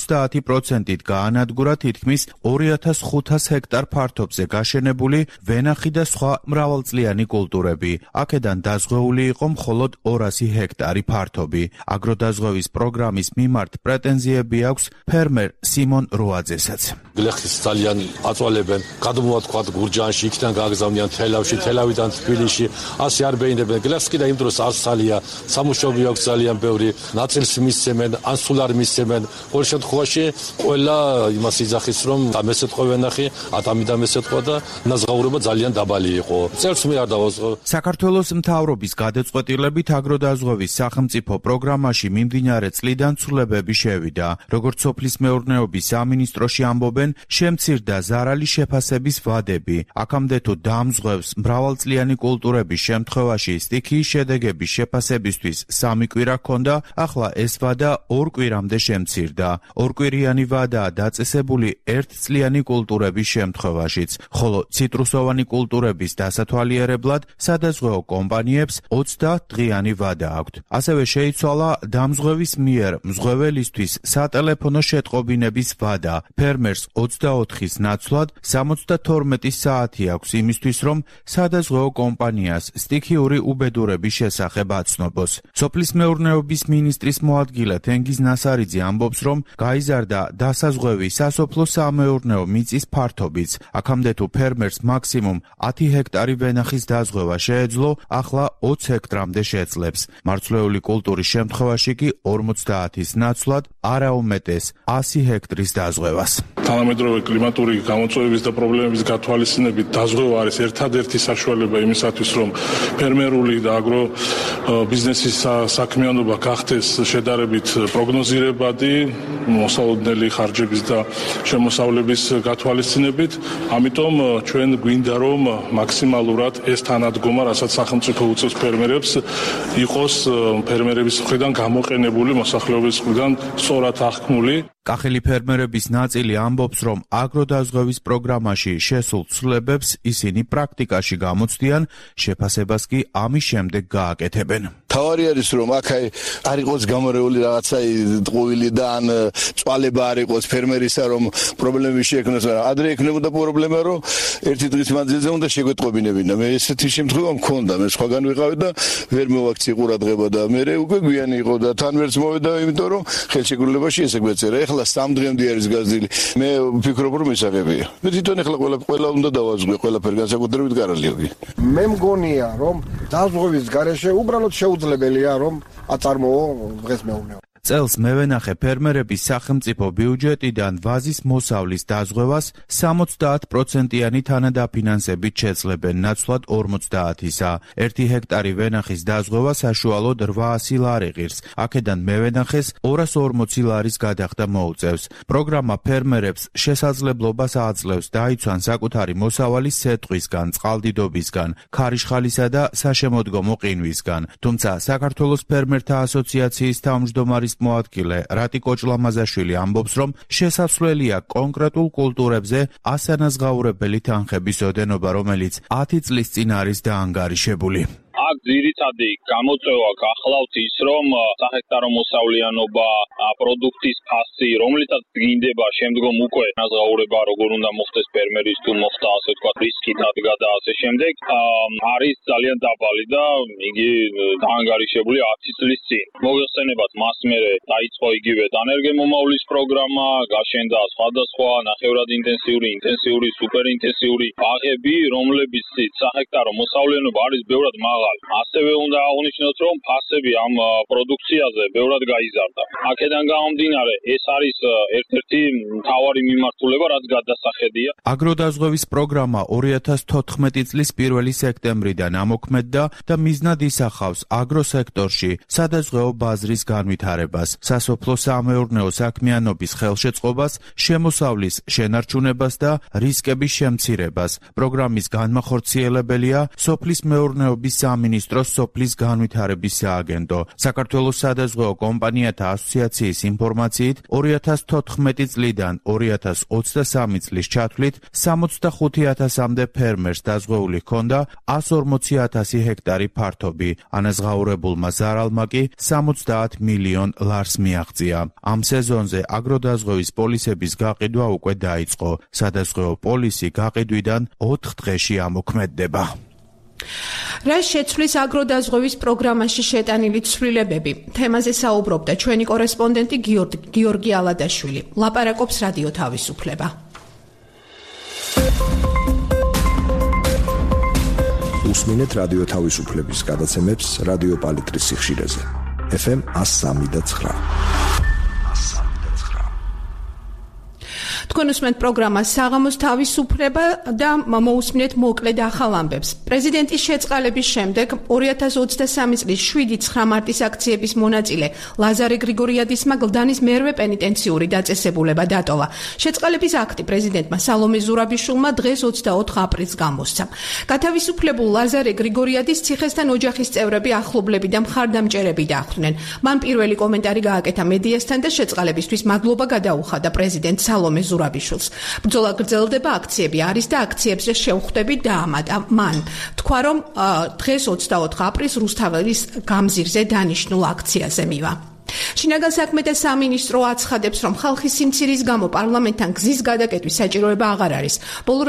Speaker 12: ოცდაათი პროცენტით გაანადგურა თითქმის ორი ათას ხუთას ჰექტარ ფართობზე გაშენებული ვენახი და სხვა მრავალწლიანი კულტურები. აქედან დაზღვეული იყო მხოლოდ ორასი ჰექტარი ფართობი. აგროდაზღვევის პროგრამის მიმართ პრეტენზიები აქვს ფერმერ სიმონ როაძესაც.
Speaker 4: გლეხის ძალიან აწვალებენ, გადმოვათქვათ გურჯაანში, იქიდან გააგზავნიან თელავში, თელავიდან თბილისში, ასე არ ბეინებენ. გლეხს კიდე იმ დროს არსალია, სამუშაობი აქვს ძალიან ბევრი, ნაწილს მისცემენ, ან სულ არ მისცემენ. ყოველ შემთხვევაში ყველა იმას იძახის, რომ დამესეთყვა ვენახი, ათამი დამესეთყვა და ნაზღაურება ძალიან დაბალი იყო. წელს მე არ დავაზღვე.
Speaker 12: საქართველოს მთავრობის გადაწყვეტილებით აგროდაზღვევის სახელმწიფო პროგრამაში მიმდინარე წლიდან ცვლილებები შევიდა. როგორც სოფლის მეურნეობის სამინისტროში ამბობენ, შემცირდა ზარალის შეფასების ვადები. აქამდე თუ დამზღვევს მრავალწლიანი კულტურების შემთხვევაში სტიქიის შედეგების შეფასებისთვის სამი კვირა ჰქონდა, ახლა ეს ვადა ორ კვირამდე შემცირდა. ორკვირიანი ვადაა დაწესებული ერთწლიანი კულტურების შემთხვევაშიც, ხოლო ციტრუსოვანი კულტურების დასათვალიერებლად სადაზღვეო კომპანიებს ოცდა დღიანი ვადა აქვთ. ასევე შეიცვალა დამზღვევის მიერ მზღვეველისთვის სატელეფონო შეტყობინების ვადა. ფერმერს ოცდაოთხის ნაცვლად სამოცდათორმეტი საათი აქვს იმისთვის, რომ სადაზღვეო კომპანიას სტიქიური უბედურების შესახებ აცნობს. სოფლის მეურნეობის მინისტრის მოადგილე თენგიზ ნასარიძე ამბობს, რომ გაიზარდა დასაზღვევი სასოფლო სამეურნეო მიწის ფართობიც. აქამდე თუ ფერმერს მაქსიმუმ ათი ჰექტარი ვენახის დაზღვევა შეეძლო, ახლა ოცი ჰექტრამდე შეძლებს. მარცვლეული კულტურის შემთხვევაში კი ორმოცდაათის ნაცვლად არაუმეტეს ასი ჰექტრის დაზღვევას.
Speaker 13: თანამედროვე კლიმატური გამოწვევების და პრობლემების გათვალისწინებით დაზღვევა არის ერთადერთი საშუალება იმისათვის, რომ ფერმერული და აგრო ბიზნესის საქმიანობა გახდეს შედარებით პროგნოზირებადი, მოსალოდნელი ხარჯების და შემოსავლების გათვალისწინებით. ამიტომ ჩვენ გვინდა რომ მაქსიმალურად ეს თანადგომა, რასაც სახელმწიფო უწევს ფერმერებს, იყოს ფერმერების მხრიდან გამოყენებული, მოსახლეობის მხრიდან სწორად აღქმული.
Speaker 12: კახელი ფერმერების ნაწილი ამბობს, რომ აგროდაზღვევის პროგრამაში შესულ ცვლილებებს ისინი პრაქტიკაში გამოცდიან, შეფასებას კი ამის შემდეგ გააკეთებენ.
Speaker 14: თავარი არის რომ აქ არ იყოს გამორეული რაღაცა ტყუილი და ან წვალება არ იყოს ფერმერისა რომ პრობლემები შეექმნას, მაგრამ ადრე ექნებოდა პრობლემა რომ ერთი დღის მანძილზე უნდა შეგვეტყობინებინა. მე ესეთი შემთხვევა მქონდა, მე სხვაგან ვიყავი და ვერ მოვაქცი ყურადღება და მე უკვე გვიანი იყო და თან ვერც მოვედა, იმიტომ რომ ხელშეკრულებაში ესე გვეწერა. ეხლა სამ დღემდე არის გაზრდილი. მე ვფიქრობ რომ ისაღებია. მე თვითონ ეხლა ყველა ყველა უნდა დავაზღვე ყველაფერი განსაკუთრებით გარალიოგი.
Speaker 15: მე მგონია რომ დაზღვევის გარეშე უბრალოდ შეუძლებელია რომ აწარმოო დღეს მეუბნეო.
Speaker 12: წელს მევენახე ფერმერების სახელმწიფო ბიუჯეტიდან ვაზის მოსავლის დაზღვევას სამოცდაათ პროცენტიანი თანადაფინანსებით შეძლებენ, ნაცვლად ორმოცდაათისა. ერთი ჰექტარი ვენახის დაზღვევა საშუალოდ რვაასი ლარი ღირს. აქედან მევენახეს ორას ორმოცი ლარის გადახდა მოუწევს. პროგრამა ფერმერებს შესაძლებლობას აძლევს დაიცვან საკუთარი მოსავალი სეტყვისგან, წყალდიდობისგან, ქარიშხალისა და საშემოდგომო ყინვისგან. თუმცა საქართველოს ფერმერთა ასოციაციის თავმჯდომარის მოადგილე რატი კოჭლამაზაშვილი ამბობს, რომ შესაძლებელია კონკრეტულ კულტურებზე ასანაზღაურებელი თანხების ოდენობა, რომელიც ათი წლის წინ არის დაანგარიშებული.
Speaker 16: აქ ძირითადი გამოწვევა გახლავთ ის, რომ საჰექტარო მოსავლიანობა, პროდუქტის ფასი, რომლითაც დგინდება შემდგომ უკვე განაზღაურება, როგორ უნდა მოხდეს ფერმერის თუ მოხდა ასე ვთქვათ რისკით ადგა და ასე შემდეგ, არის ძალიან დაბალი და იგი დაანგარიშებული ათი წლის წინ. მოგეხსენებათ, მას მერე დაიწყო იგივე დანერგემომავლის პროგრამა, გაშენდა სხვადასხვა ნახევრად ინტენსიური, ინტენსიური, სუპერინტენსიური ბაღები, რომლებიც საჰექტარო მოსავლიანობა არის ბევრად მაღალი. ასევე უნდა აღნიშნოთ, რომ ფასები ამ პროდუქციაზე ბევრად გაიზარდა. აქედან გამომდინარე, ეს არის ერთ-ერთი მთავარი მიმართულება, რაც გადასახედია.
Speaker 12: აგროდაზღვევის პროგრამა ორი ათას თოთხმეტი წლის პირველი სექტემბრიდან ამოქმედდა და მიზნად ისახავს აგროსექტორში სადაზღვეო ბაზრის განვითარებას, სასოფლო-სამეურნეო საქმიანობის ხელშეწყობას, შემოსავლის შენარჩუნებას და რისკების შემცირებას. პროგრამის განმახორციელებელია სოფლის მეურნეობის სამინისტროს სოფლის განვითარების სააგენტო. საქართველოს სადაზღვეო კომპანიათა ასოციაციის ინფორმაციით, ორი ათას თოთხმეტი წლიდან ორი ათას ოცდასამი წლის ჩათვლით სამოცდახუთი ათასამდე ფერმერს დაზღვეული ჰქონდა ასი ორმოცი ათასი ჰექტარი ფართობი. ანაზღაურებულმა ზარალმა კი სამოცდაათ მილიონ ლარს მიაღწია. ამ სეზონზე აგროდაზღვევის პოლისების გაყიდვა უკვე დაიწყო. სადაზღვეო პოლისი გაყიდვიდან ოთხ დღეში ამოქმედდება.
Speaker 1: რა შეცვლის აგროდაზღვევის პროგრამაში შეტანილი ცვლილებები? თემაზე საუბრობდა ჩვენი კორესპონდენტი გიორგი ალადაშვილი. ლაპარაკობს რადიო თავისუფლება.
Speaker 9: უსმინეთ რადიო თავისუფლების გადაცემებს რადიო პალიტრის სიხშირეზე. ეფ ემ εκατო სამი და ცხრა.
Speaker 1: თქვენ უსმენთ პროგრამას საღამოს თავისუფლება და მოусმინეთ მოკლედ ახალ ამბებს. პრეზიდენტის შეწყალების შემდეგ ორი ათას ოცდასამი წლის შვიდი ცხრა მარტის აქციების მონაწილე ლაზარე გრიგორიადისმა გლდანის მერვე პენიტენციური დაწესებულება დატოვა. შეწყალების აქტი პრეზიდენტმა სალომე ზურაბიშვილმა დღეს ოცდაოთხ აპრილს გამოსცა. გათავისუფლებულ ლაზარე გრიგორიადის ციხესთან ოჯახის წევრები, ახლობლები და მხარდამჭერები დახვდნენ. მან პირველი კომენტარი გააკეთა მედიასთან და შეწყალებისთვის მადლობა გადაუხადა პრეზიდენტ სალომე ზურაბიშვილს. ბრძოლა გრძელდება, აქციები არის და აქციებზე შევხვდებით დაამატა მან. თქვა რომ დღეს ოცდაოთხ აპრილს რუსთაველის გამზირზე დანიშნულ აქციაზე მივა. შინაგან საქმეთა სამინისტრო აცხადებს, რომ ხალხის სიმცირის გამო პარლამენტთან გზის გადაკეტვის საჭიროება აღარ არის. ბოლო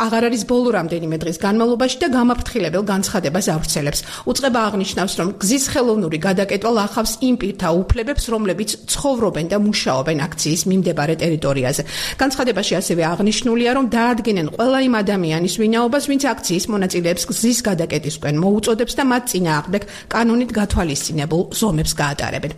Speaker 1: აღარ არის ბოლო რამდენიმე დღის განმავლობაში და გამაფრთხილებელ განცხადებას ავრცელებს. უწყება აღნიშნავს, რომ გზის ხელოვნური გადაკეტვა ლახავს იმ პირთა უფლებებს, რომლებიც ცხოვრობენ და მუშაობენ აქციის მიმდებარე ტერიტორიაზე. განცხადებაში ასევე აღნიშნულია, რომ დაადგენენ ყველა იმ ადამიანის ვინაობას, ვინც აქციის მონაწილეებს გზის გადაკეტისკენ მოუწოდებს და მათ წინააღმდეგ კანონით გათვალისწინებულ ზომებს გაატარებენ.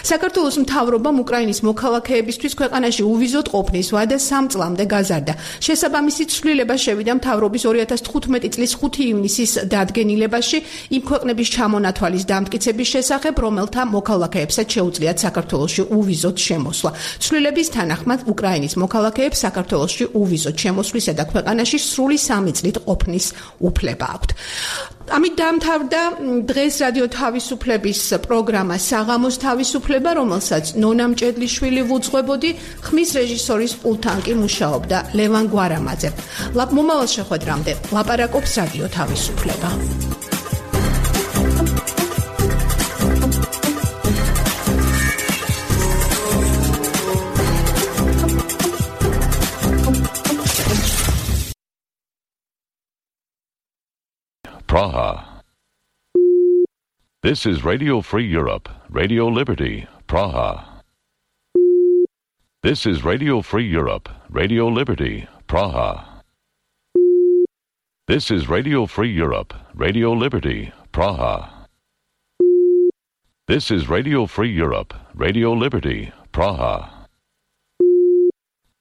Speaker 1: საქართველოს მთავრობამ უკრაინის მოქალაქეებისთვის ქვეყანაში უვიზოდ ყოფნის ვადა სამ წლამდე გაზარდა. შესაბამისი ცვლილება შევიდა მთავრობის ორი ათას თხუთმეტი წლის ხუთი ივნისის დადგენილებაში იმ ქვეყნების ჩამონათვალის დამტკიცების შესახებ, რომელთა მოქალაქეებსაც შეუძლიათ საქართველოში უვიზოდ შემოსვლა. ცვლილების თანახმად უკრაინის მოქალაქეებს საქართველოში უვიზოდ შემოსვლისა და ქვეყანაში სრული სამი წლით ყოფნის უფლება აქვთ. ამით დაამთავრდა დღეს რადიო თავისუფლების პროგრამა საღამოს თავისუფლება, რომელსაც ნონა მჭედლიშვილი ვუძღვებოდი, ხმის რეჟისორის პულტთან კი მუშაობდა ლევან გვარამაძე. მომავალ შეხვედრამდე ლაპარაკობს რადიო თავისუფლება.
Speaker 17: Praha. This is Radio Free Europe, Radio Liberty, Praha. This is Radio Free Europe, Radio Liberty, Praha. This is Radio Free Europe, Radio Liberty, Praha. This is Radio Free Europe, Radio Liberty, Praha.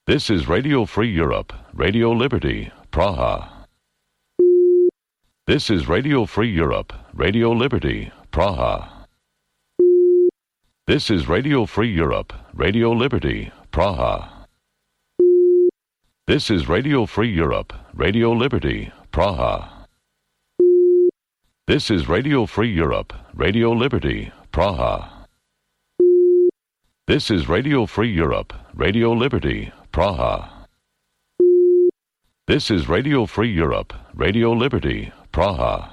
Speaker 17: This is Radio Free Europe, Radio Liberty, Praha. This is Radio Free Europe, Radio Liberty, Praha. This is Radio Free Europe, Radio Liberty, Praha. This is Radio Free Europe, Radio Liberty, Praha. This is Radio Free Europe, Radio Liberty, Praha. This is Radio Free Europe, Radio Liberty, Praha. This is Radio Free Europe, Radio Liberty, Praha.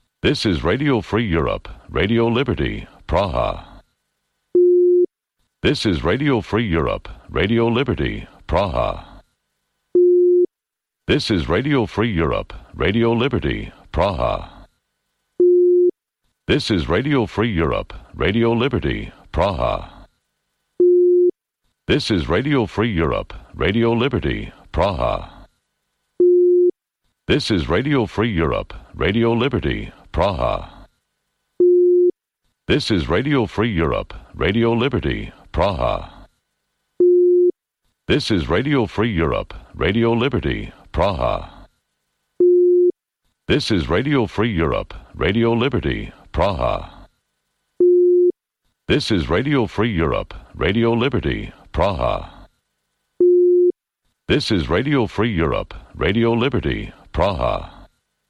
Speaker 17: This is Radio Free Europe, Radio Liberty, Praha. This is Radio Free Europe, Radio Liberty, Praha. This is Radio Free Europe, Radio Liberty, Praha. This is Radio Free Europe, Radio Liberty, Praha. This is Radio Free Europe, Radio Liberty, Praha. This is Radio Free Europe, Radio Liberty, Praha. This is Radio Free Europe, Radio Liberty, Praha. This is Radio Free Europe, Radio Liberty, Praha. This is Radio Free Europe, Radio Liberty, Praha. This is Radio Free Europe, Radio Liberty, Praha.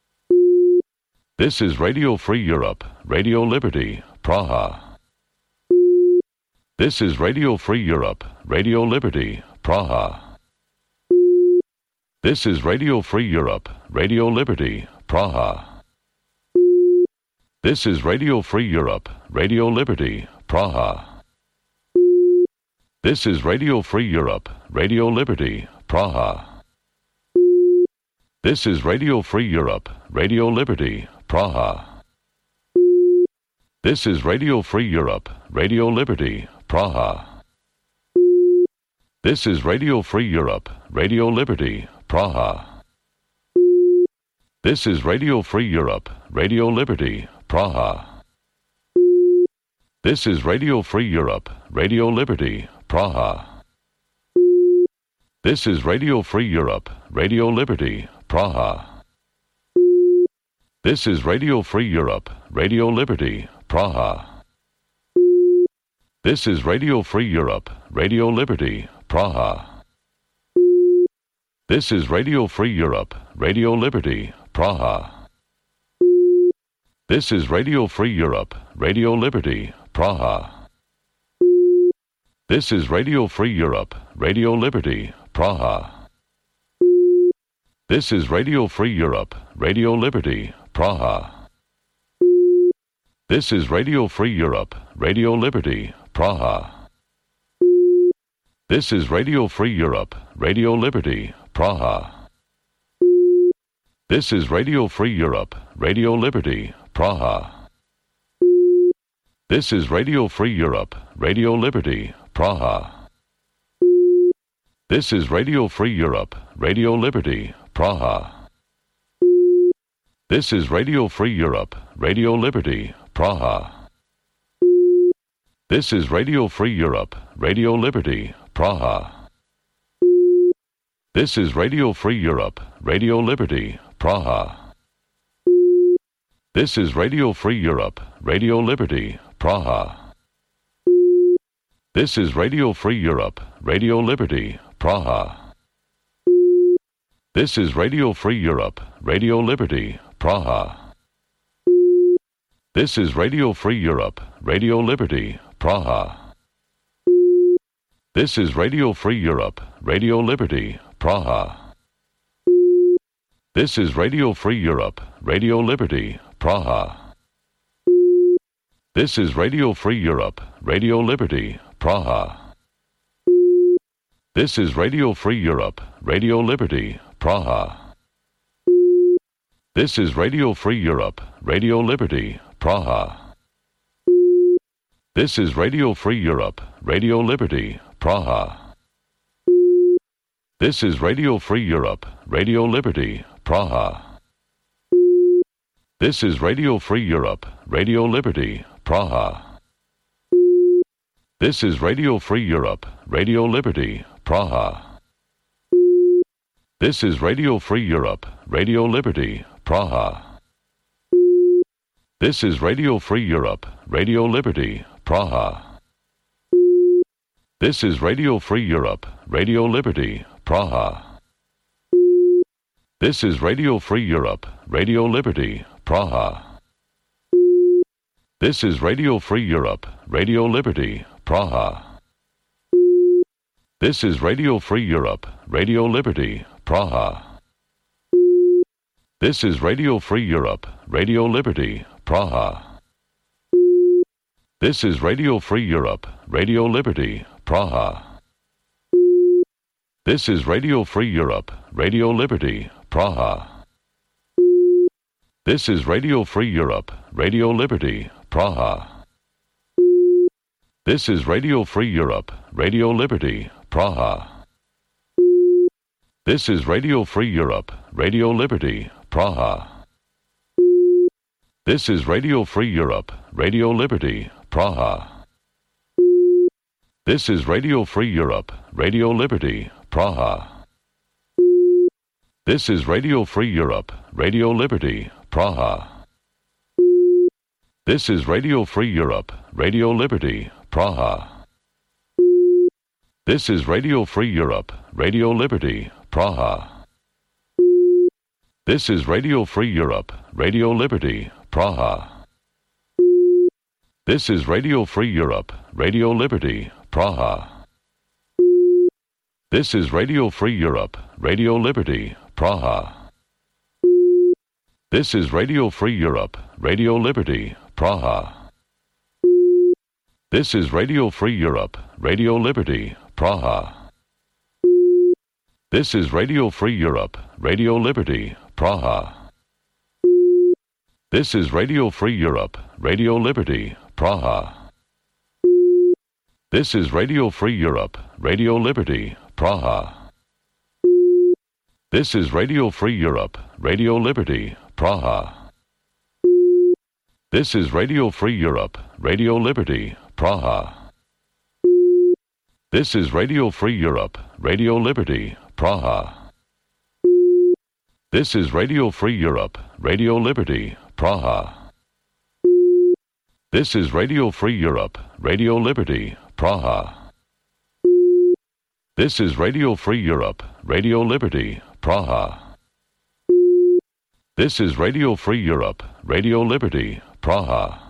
Speaker 17: This is Radio Free Europe, Radio Liberty, Praha. This is Radio Free Europe, Radio Liberty, Praha. This is Radio Free Europe, Radio Liberty, Praha. This is Radio Free Europe, Radio Liberty, Praha. This is Radio Free Europe, Radio Liberty, Praha. This is Radio Free Europe, Radio Liberty, Praha. This is Radio Free Europe, Radio Liberty, Praha. This is Radio Free Europe, Radio Liberty, Praha. This is Radio Free Europe, Radio Liberty, Praha. This is Radio Free Europe, Radio Liberty, Praha. This is Radio Free Europe, Radio Liberty, Praha. This is Radio Free Europe, Radio Liberty, Praha. This is Radio Free Europe, Radio Liberty, Praha. This is Radio Free Europe, Radio Liberty, Praha. This is Radio Free Europe, Radio Liberty, Praha. This is Radio Free Europe, Radio Liberty, Praha. This is Radio Free Europe, Radio Liberty, Praha. This is Radio Free Europe, Radio Liberty, Praha. This is Radio Free Europe, Radio Liberty, Praha. This is Radio Free Europe, Radio Liberty, Praha. This is Radio Free Europe, Radio Liberty, Praha. This is Radio Free Europe, Radio Liberty, Praha. This is Radio Free Europe, Radio Liberty, Praha. This is Radio Free Europe, Radio Liberty, Praha. This is Radio Free Europe, Radio Liberty, Praha. This is Radio Free Europe, Radio Liberty, Praha. This is Radio Free Europe, Radio Liberty, Praha. This is Radio Free Europe, Radio Liberty, Praha. This is Radio Free Europe, Radio Liberty, Praha. This is Radio Free Europe, Radio Liberty, Praha. This is Radio Free Europe, Radio Liberty, Praha. This is Radio Free Europe, Radio Liberty, Praha. This is Radio Free Europe, Radio Liberty, Praha. This is Radio Free Europe, Radio Liberty, Praha. This is Radio Free Europe, Radio Liberty, Praha. This is Radio Free Europe, Radio Liberty, Praha. This is Radio Free Europe, Radio Liberty, Praha. This is Radio Free Europe, Radio Liberty, Praha. This is Radio Free Europe, Radio Liberty, Praha. This is Radio Free Europe, Radio Liberty, Praha. This is Radio Free Europe, Radio Liberty, Praha. This is Radio Free Europe, Radio Liberty, Praha. This is Radio Free Europe, Radio Liberty, Praha. This is Radio Free Europe, Radio Liberty, Praha. This is Radio Free Europe, Radio Liberty, Praha. This is Radio Free Europe, Radio Liberty, Praha. This is Radio Free Europe, Radio Liberty, Praha. This is Radio Free Europe, Radio Liberty, Praha. This is Radio Free Europe, Radio Liberty, Praha. This is Radio Free Europe, Radio Liberty, Praha. This is Radio Free Europe, Radio Liberty, Praha. This is Radio Free Europe, Radio Liberty, Praha. This is Radio Free Europe, Radio Liberty, Praha. This is Radio Free Europe, Radio Liberty, Praha. This is Radio Free Europe, Radio Liberty, Praha. This is Radio Free Europe, Radio Liberty, Praha. This is Radio Free Europe, Radio Liberty, Praha. This is Radio Free Europe, Radio Liberty, Praha. This is Radio Free Europe, Radio Liberty, Praha. This is Radio Free Europe, Radio Liberty, Praha. This is Radio Free Europe, Radio Liberty, Praha. This is Radio Free Europe, Radio Liberty, Praha. This is Radio Free Europe, Radio Liberty, Praha. This is Radio Free Europe, Radio Liberty, Praha. This is Radio Free Europe, Radio Liberty, Praha. This is Radio Free Europe, Radio Liberty, Praha. This is Radio Free Europe, Radio Liberty, Praha. This is Radio Free Europe, Radio Liberty, Praha. This is Radio Free Europe, Radio Liberty, Praha. This is Radio Free Europe, Radio Liberty, Praha. This is Radio Free Europe, Radio Liberty, Praha.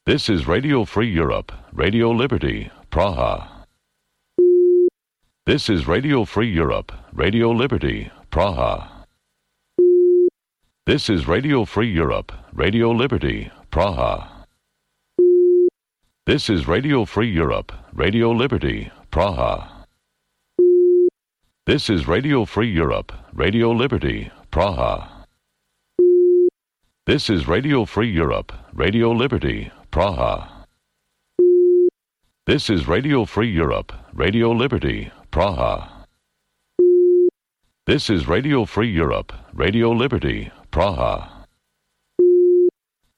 Speaker 17: This is Radio Free Europe, Radio Liberty, Praha. This is Radio Free Europe, Radio Liberty, Praha. This is Radio Free Europe, Radio Liberty, Praha. This is Radio Free Europe, Radio Liberty, Praha. This is Radio Free Europe, Radio Liberty, Praha. This is Radio Free Europe, Radio Liberty, Praha. This is Radio Free Europe, Radio Liberty, Praha. This is Radio Free Europe, Radio Liberty, Praha.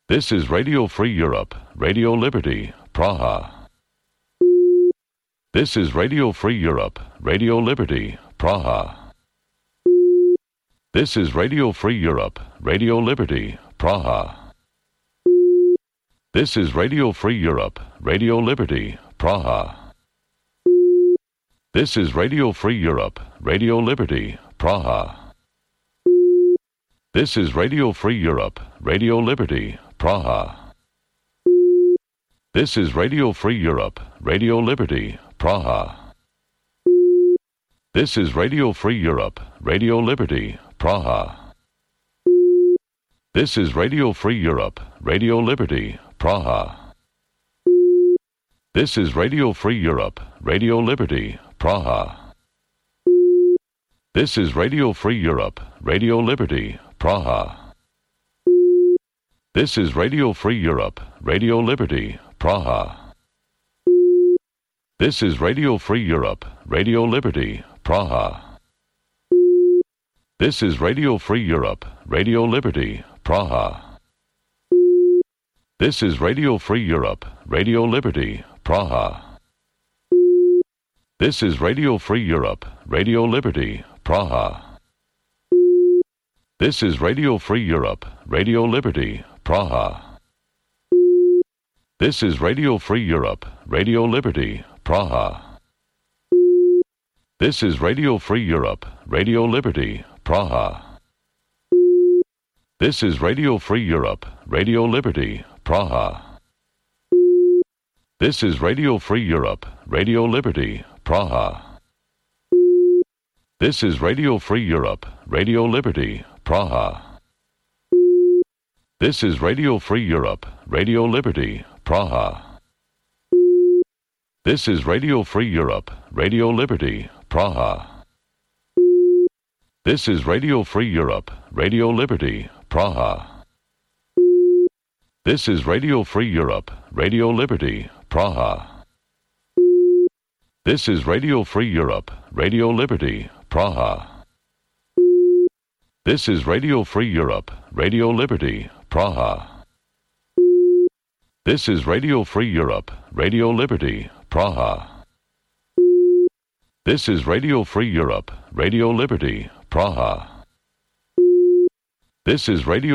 Speaker 17: This is Radio Free Europe, Radio Liberty, Praha. This is Radio Free Europe, Radio Liberty, Praha. This is Radio Free Europe, Radio Liberty, Praha. This is Radio Free Europe, Radio Liberty, Praha. This is Radio Free Europe, Radio Liberty, Praha. This is Radio Free Europe, Radio Liberty, Praha. This is Radio Free Europe, Radio Liberty, Praha. This is Radio Free Europe, Radio Liberty, Praha. This is Radio Free Europe, Radio Liberty, Praha. This is Radio Free Europe, Radio Liberty, Praha. This is Radio Free Europe, Radio Liberty, Praha. This is Radio Free Europe, Radio Liberty, Praha. This is Radio Free Europe, Radio Liberty, Praha. This is Radio Free Europe, Radio Liberty, Praha. This is Radio Free Europe, Radio Liberty, Praha. This is Radio Free Europe, Radio Liberty, Praha. This is Radio Free Europe, Radio Liberty, Praha. This is Radio Free Europe, Radio Liberty, Praha. This is Radio Free Europe, Radio Liberty, Praha. This is Radio Free Europe, Radio Liberty, Praha. This is Radio Free Europe, Radio Liberty, Praha. This is Radio Free Europe, Radio Liberty, Praha. This is Radio Free Europe, Radio Liberty, Praha. This is Radio Free Europe, Radio Liberty, Praha. This is Radio Free Europe, Radio Liberty, Praha. This is Radio Free Europe, Radio Liberty, Praha. This is Radio Free Europe, Radio Liberty, Praha. This is Radio Free Europe, Radio Liberty, Praha. This is Radio Free Europe, Radio Liberty, Praha. This is Radio Free Europe, Radio Liberty, Praha. This is Radio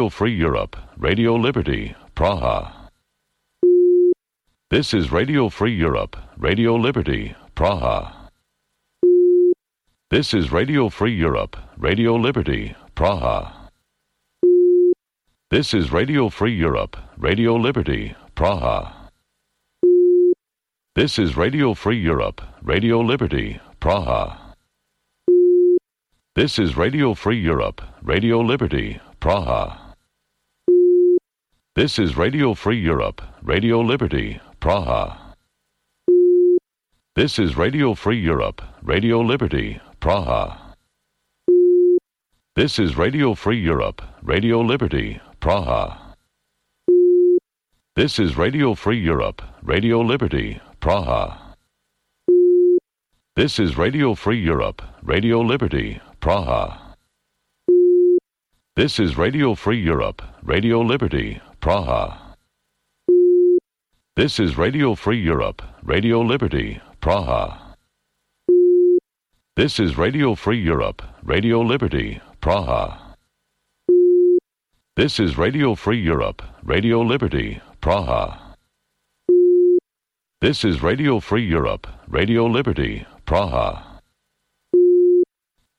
Speaker 17: Free Europe, Radio Liberty, Praha. This is Radio Free Europe, Radio Liberty, Praha. This is Radio Free Europe, Radio Liberty, Praha. This is Radio Free Europe, Radio Liberty, Praha. This is Radio Free Europe, Radio Liberty, Praha. This is Radio Free Europe, Radio Liberty, Praha. This is Radio Free Europe, Radio Liberty, Praha. This is Radio Free Europe, Radio Liberty, Praha. This is Radio Free Europe, Radio Liberty, Praha. This is Radio Free Europe, Radio Liberty, Praha. This is Radio Free Europe, Radio Liberty, Praha. This is Radio Free Europe, Radio Liberty, Praha. This is Radio Free Europe, Radio Liberty, Praha. This is Radio Free Europe, Radio Liberty, Praha. This is Radio Free Europe, Radio Liberty, Praha. This is Radio Free Europe, Radio Liberty, Praha.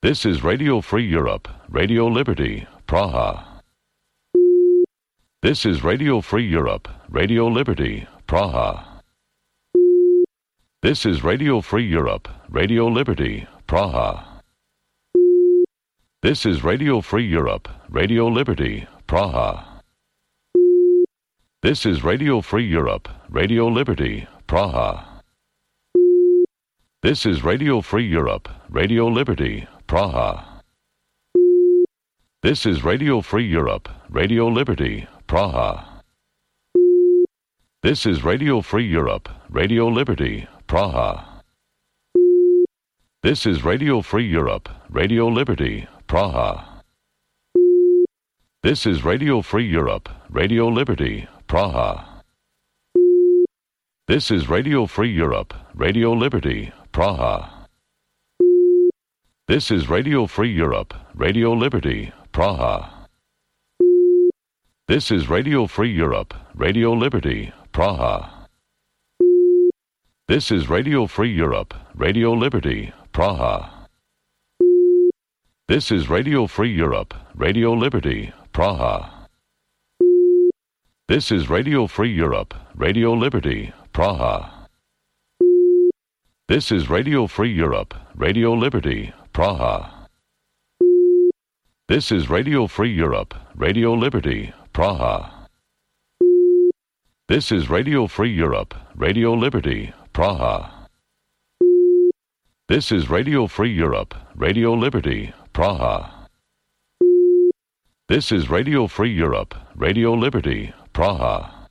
Speaker 17: This is Radio Free Europe, Radio Liberty, Praha. This is Radio Free Europe, Radio Liberty, Praha. This is Radio Free Europe, Radio Liberty, Praha. This is Radio Free Europe, Radio Liberty, Praha. This is Radio Free Europe, Radio Liberty, Praha. This is Radio Free Europe, Radio Liberty, Praha. This is Radio Free Europe, Radio Liberty, Praha. This is Radio Free Europe, Radio Liberty, Praha. This is Radio Free Europe, Radio Liberty, Praha. This is Radio Free Europe, Radio Liberty, Praha. This is Radio Free Europe, Radio Liberty, Praha. This is Radio Free Europe, Radio Liberty, Praha. This is Radio Free Europe, Radio Liberty, Praha. This is Radio Free Europe, Radio Liberty, Praha. This is Radio Free Europe, Radio Liberty, Praha. This is Radio Free Europe, Radio Liberty, Praha. This is Radio Free Europe, Radio Liberty, Praha. This is Radio Free Europe, Radio Liberty, Praha. This is Radio Free Europe, Radio Liberty, Praha. This is Radio Free Europe, Radio Liberty, Praha. This is Radio Free Europe, Radio Liberty, Praha.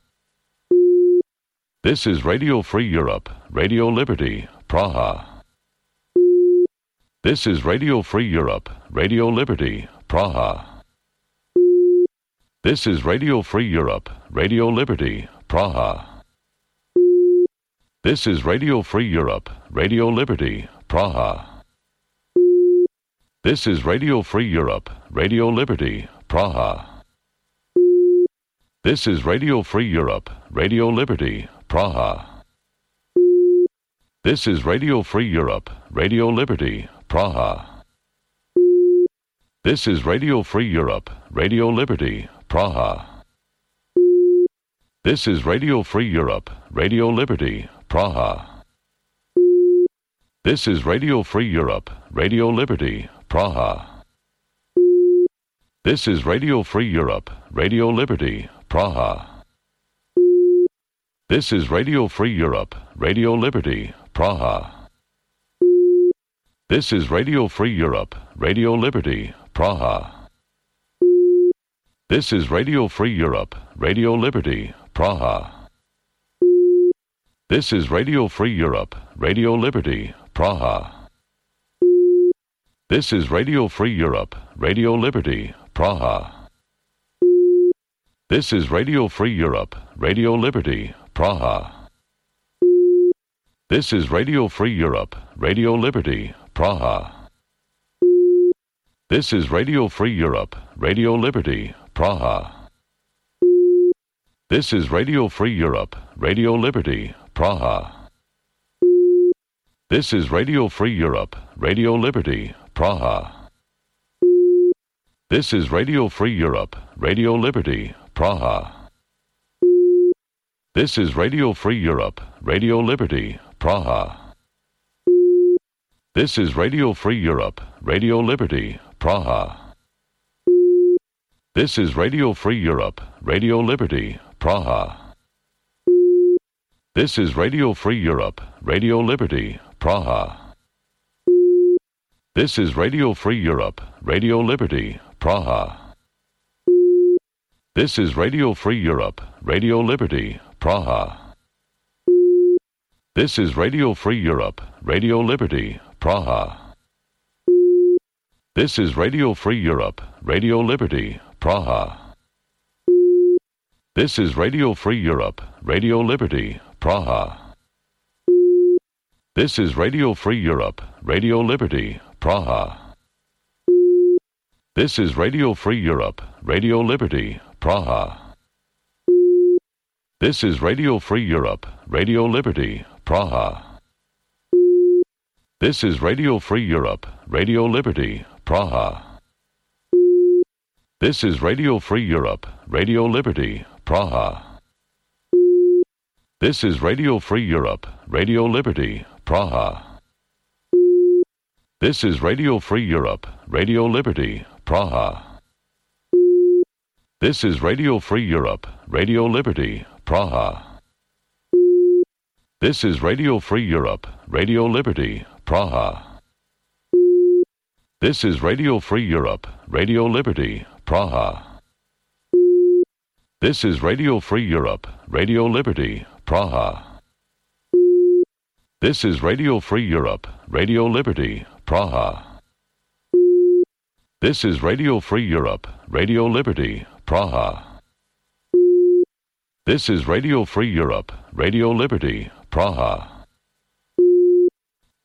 Speaker 17: This is Radio Free Europe, Radio Liberty, Praha. This is Radio Free Europe, Radio Liberty, Praha. This is Radio Free Europe, Radio Liberty, Praha. This is Radio Free Europe, Radio Liberty, Praha. This is Radio Free Europe, Radio Liberty, Praha. This is Radio Free Europe, Radio Liberty, Praha. This is Radio Free Europe, Radio Liberty, Praha. This is Radio Free Europe, Radio Liberty, Praha. This is Radio Free Europe, Radio Liberty, Praha. This is Radio Free Europe, Radio Liberty, Praha. This is Radio Free Europe, Radio Liberty, Praha. This is Radio Free Europe, Radio Liberty, Praha. This is Radio Free Europe, Radio Liberty, Praha. This is Radio Free Europe, Radio Liberty, Praha. This is Radio Free Europe, Radio Liberty, Praha. This is Radio Free Europe, Radio Liberty, Praha. This is Radio Free Europe, Radio Liberty, Praha. This is Radio Free Europe, Radio Liberty, Praha. This is Radio Free Europe, Radio Liberty, Praha. This is Radio Free Europe, Radio Liberty, Praha. This is Radio Free Europe, Radio Liberty, Praha. This is Radio Free Europe, Radio Liberty, Praha. This is Radio Free Europe, Radio Liberty, Praha. This is Radio Free Europe, Radio Liberty, Praha. This is Radio Free Europe, Radio Liberty, Praha. This is Radio Free Europe, Radio Liberty, Praha. This is Radio Free Europe, Radio Liberty, Praha. This is Radio Free Europe, Radio Liberty, Praha. This is Radio Free Europe, Radio Liberty, Praha. This is Radio Free Europe, Radio Liberty, Praha. This is Radio Free Europe, Radio Liberty, Praha. This is Radio Free Europe, Radio Liberty, Praha. This is Radio Free Europe, Radio Liberty, Praha. This is Radio Free Europe, Radio Liberty, Praha. This is Radio Free Europe, Radio Liberty, Praha. This is Radio Free Europe, Radio Liberty, Praha. This is Radio Free Europe, Radio Liberty, Praha. This is Radio Free Europe, Radio Liberty, Praha. This is Radio Free Europe, Radio Liberty, Praha. This is Radio Free Europe, Radio Liberty, Praha. This is Radio Free Europe, Radio Liberty, Praha. This is Radio Free Europe, Radio Liberty, Praha. This is Radio Free Europe, Radio Liberty, Praha. This is Radio Free Europe, Radio Liberty, Praha. This is Radio Free Europe, Radio Liberty, Praha.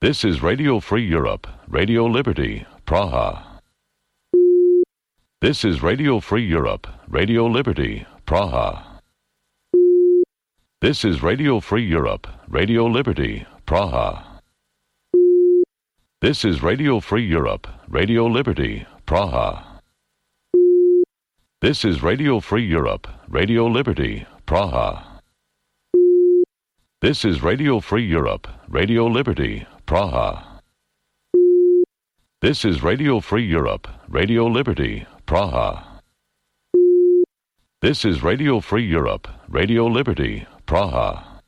Speaker 17: This is Radio Free Europe, Radio Liberty, Praha. This is Radio Free Europe, Radio Liberty, Praha. This is Radio Free Europe, Radio Liberty, Praha. This is Radio Free Europe, Radio Liberty, Praha. This is Radio Free Europe, Radio Liberty, Praha. This is Radio Free Europe, Radio Liberty, Praha. This is Radio Free Europe, Radio Liberty, Praha. This is Radio Free Europe, Radio Liberty, Praha.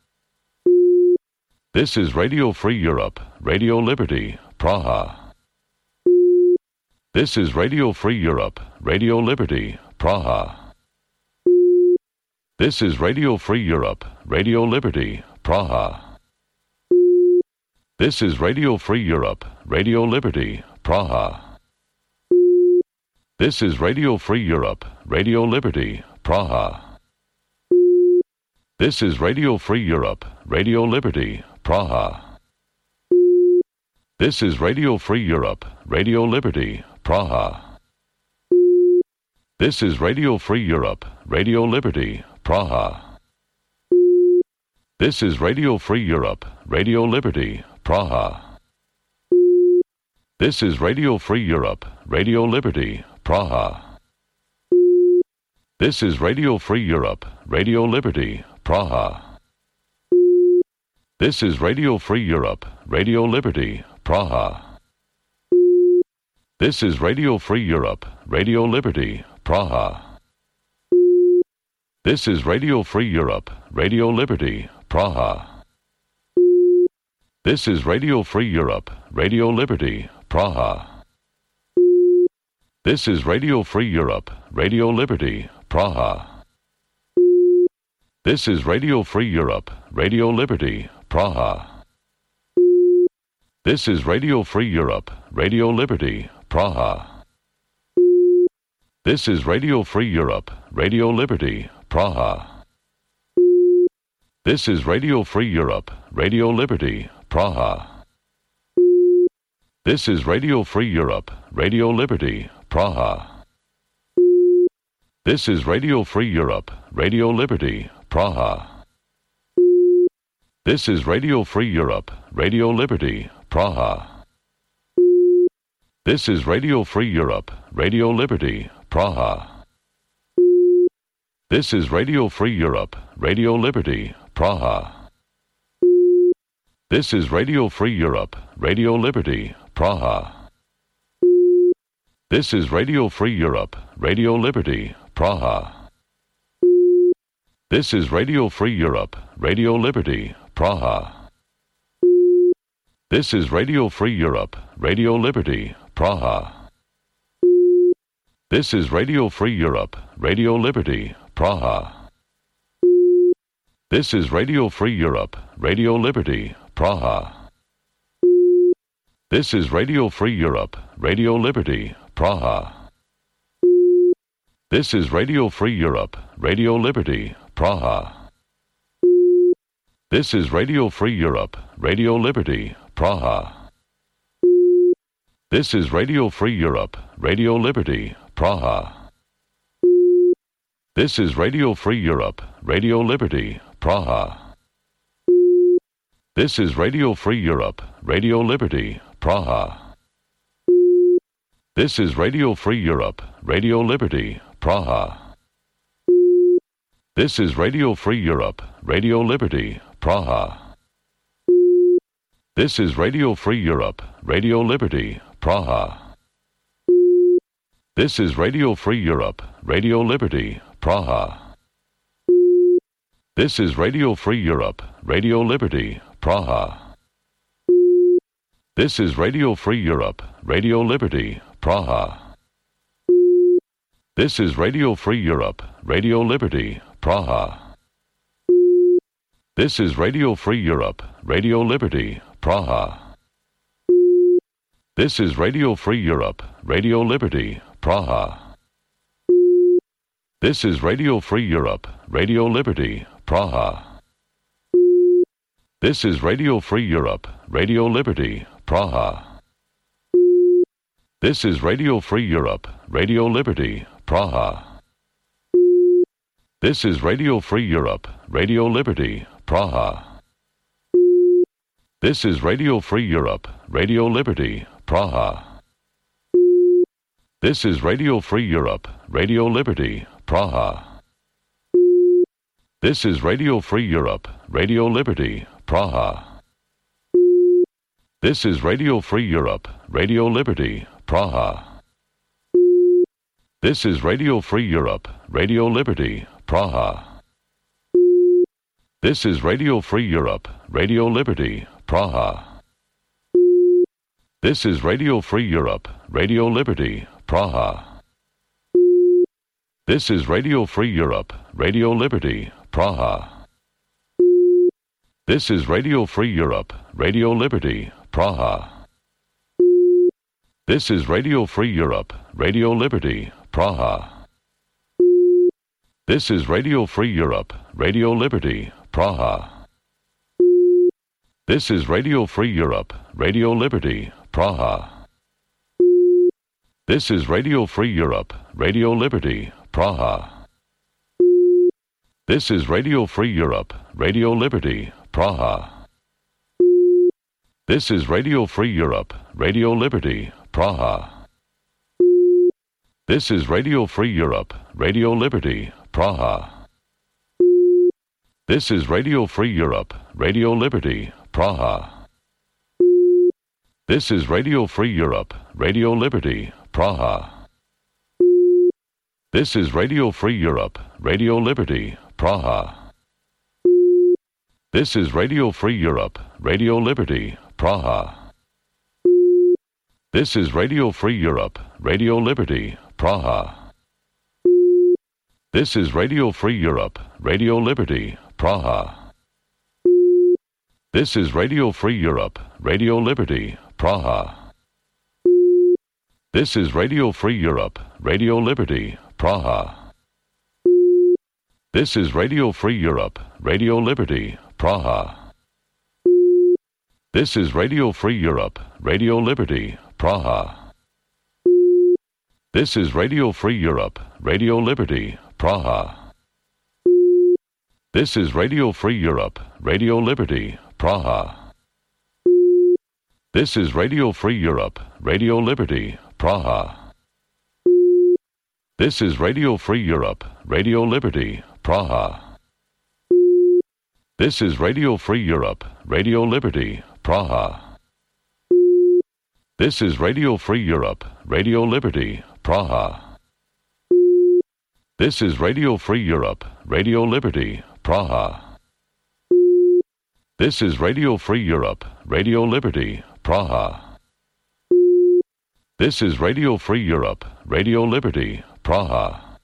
Speaker 17: This is Radio Free Europe, Radio Liberty, Praha. This is Radio Free Europe, Radio Liberty, Praha. This is Radio Free Europe, Radio Liberty, Praha. This is Radio Free Europe, Radio Liberty, Praha. This is Radio Free Europe, Radio Liberty, Praha. This is Radio Free Europe, Radio Liberty, Praha. This is Radio Free Europe, Radio Liberty, Praha. This is Radio Free Europe, Radio Liberty, Praha. This is Radio Free Europe, Radio Liberty, Praha. This is Radio Free Europe, Radio Liberty, Praha. This is Radio Free Europe, Radio Liberty, Praha. This is Radio Free Europe, Radio Liberty, Praha. This is Radio Free Europe, Radio Liberty, Praha. This is Radio Free Europe, Radio Liberty, Praha. This is Radio Free Europe, Radio Liberty, Praha. This is Radio Free Europe, Radio Liberty, Praha. This is Radio Free Europe, Radio Liberty, Praha. This is Radio Free Europe, Radio Liberty, Praha. This is Radio Free Europe, Radio Liberty, Praha. This is Radio Free Europe, Radio Liberty, Praha. This is Radio Free Europe, Radio Liberty, Praha. This is Radio Free Europe, Radio Liberty, Praha. This is Radio Free Europe, Radio Liberty, Praha. This is Radio Free Europe, Radio Liberty, Praha. This is Radio Free Europe, Radio Liberty, Praha. This is Radio Free Europe, Radio Liberty, Praha. This is Radio Free Europe, Radio Liberty, Praha. This is Radio Free Europe, Radio Liberty, Praha. This is Radio Free Europe, Radio Liberty, Praha. This is Radio Free Europe, Radio Liberty, Praha. This is Radio Free Europe, Radio Liberty, Praha. This is Radio Free Europe, Radio Liberty, Praha. This is Radio Free Europe, Radio Liberty, Praha. This is Radio Free Europe, Radio Liberty, Praha. This is Radio Free Europe, Radio Liberty, Praha. This is Radio Free Europe, Radio Liberty, Praha. This is Radio Free Europe, Radio Liberty, Praha. This is Radio Free Europe, Radio Liberty, Praha. This is Radio Free Europe, Radio Liberty, Praha. This is Radio Free Europe, Radio Liberty, Praha. This is Radio Free Europe, Radio Liberty, Praha. This is Radio Free Europe, Radio Liberty, Praha. This is Radio Free Europe, Radio Liberty, Praha. This is Radio Free Europe, Radio Liberty, Praha. This is Radio Free Europe, Radio Liberty, Praha. This is Radio Free Europe, Radio Liberty, Praha. This is Radio Free Europe, Radio Liberty, Praha. This is Radio Free Europe, Radio Liberty, Praha. This is Radio Free Europe, Radio Liberty, Praha. This is Radio Free Europe, Radio Liberty, Praha. This is Radio Free Europe, Radio Liberty, Praha. This is Radio Free Europe, Radio Liberty, Praha. This is Radio Free Europe, Radio Liberty, Praha. This is Radio Free Europe, Radio Liberty, Praha. This is Radio Free Europe, Radio Liberty, Praha. This is Radio Free Europe, Radio Liberty, Praha. This is Radio Free Europe, Radio Liberty, Praha. This is Radio Free Europe, Radio Liberty, Praha. This is Radio Free Europe, Radio Liberty, Praha. This is Radio Free Europe, Radio Liberty, Praha. This is Radio Free Europe, Radio Liberty, Praha. This is Radio Free Europe, Radio Liberty, Praha. This is Radio Free Europe, Radio Liberty, Praha. This is Radio Free Europe, Radio Liberty, Praha. This is Radio Free Europe, Radio Liberty, Praha. This is Radio Free Europe, Radio Liberty, Praha. This is Radio Free Europe, Radio Liberty, Praha. This is Radio Free Europe, Radio Liberty, Praha. This is Radio Free Europe, Radio Liberty, Praha. This is Radio Free Europe, Radio Liberty, Praha. This is Radio Free Europe, Radio Liberty, Praha. This is Radio Free Europe, Radio Liberty, Praha. This is Radio Free Europe, Radio Liberty, Praha. This is Radio Free Europe, Radio Liberty, Praha. This is Radio Free Europe, Radio Liberty, Praha. This is Radio Free Europe, Radio Liberty, Praha. This is Radio Free Europe, Radio Liberty, Praha. This is Radio Free Europe, Radio Liberty, Praha. This is Radio Free Europe, Radio Liberty, Praha. This is Radio Free Europe, Radio Liberty, Praha. This is Radio Free Europe, Radio Liberty, Praha. This is Radio Free Europe, Radio Liberty, Praha. This is Radio Free Europe, Radio Liberty, Praha. This is Radio Free Europe, Radio Liberty, Praha. This is Radio Free Europe, Radio Liberty, Praha.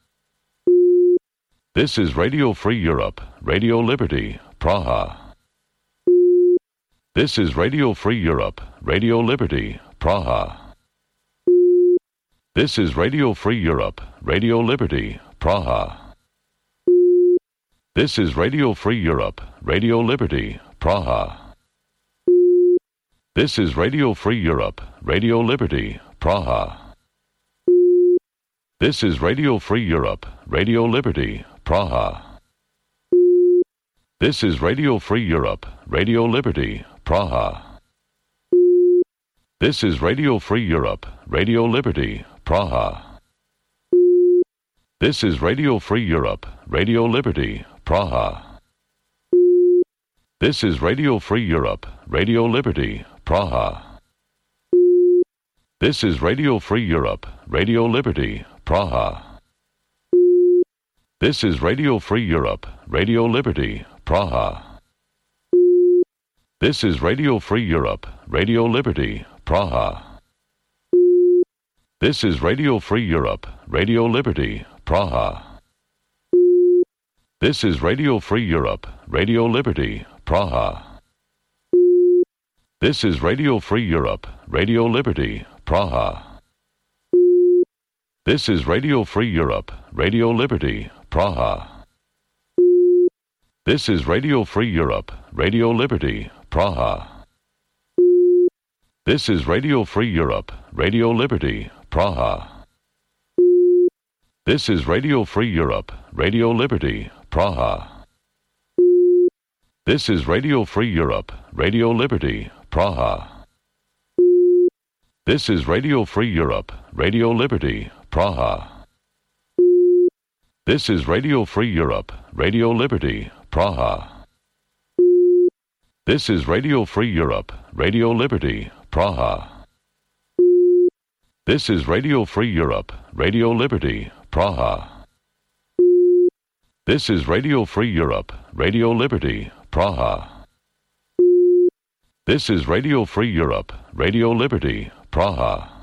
Speaker 17: This is Radio Free Europe, Radio Liberty, Praha. This is Radio Free Europe, Radio Liberty, Praha. This is Radio Free Europe, Radio Liberty, Praha. This is Radio Free Europe, Radio Liberty, Praha. This is Radio Free Europe, Radio Liberty, Praha. This is Radio Free Europe, Radio Liberty, Praha. This is Radio Free Europe, Radio Liberty, Praha. This is Radio Free Europe, Radio Liberty, Praha. This is Radio Free Europe, Radio Liberty, Praha. This is Radio Free Europe, Radio Liberty, Praha. This is Radio Free Europe, Radio Liberty, Praha. This is Radio Free Europe, Radio Liberty, Praha. This is Radio Free Europe, Radio Liberty, Praha. This is Radio Free Europe, Radio Liberty, Praha. This is Radio Free Europe, Radio Liberty, Praha. This is Radio Free Europe, Radio Liberty, Praha. This is Radio Free Europe, Radio Liberty, Praha. This is Radio Free Europe, Radio Liberty, Praha. This is Radio Free Europe, Radio Liberty, Praha. This is Radio Free Europe, Radio Liberty, Praha. This is Radio Free Europe, Radio Liberty, Praha. This is Radio Free Europe, Radio Liberty, Praha. This is Radio Free Europe, Radio Liberty, Praha. This is Radio Free Europe, Radio Liberty, Praha. This is Radio Free Europe, Radio Liberty, Praha. This is Radio Free Europe, Radio Liberty, Praha. This is Radio Free Europe, Radio Liberty, Praha.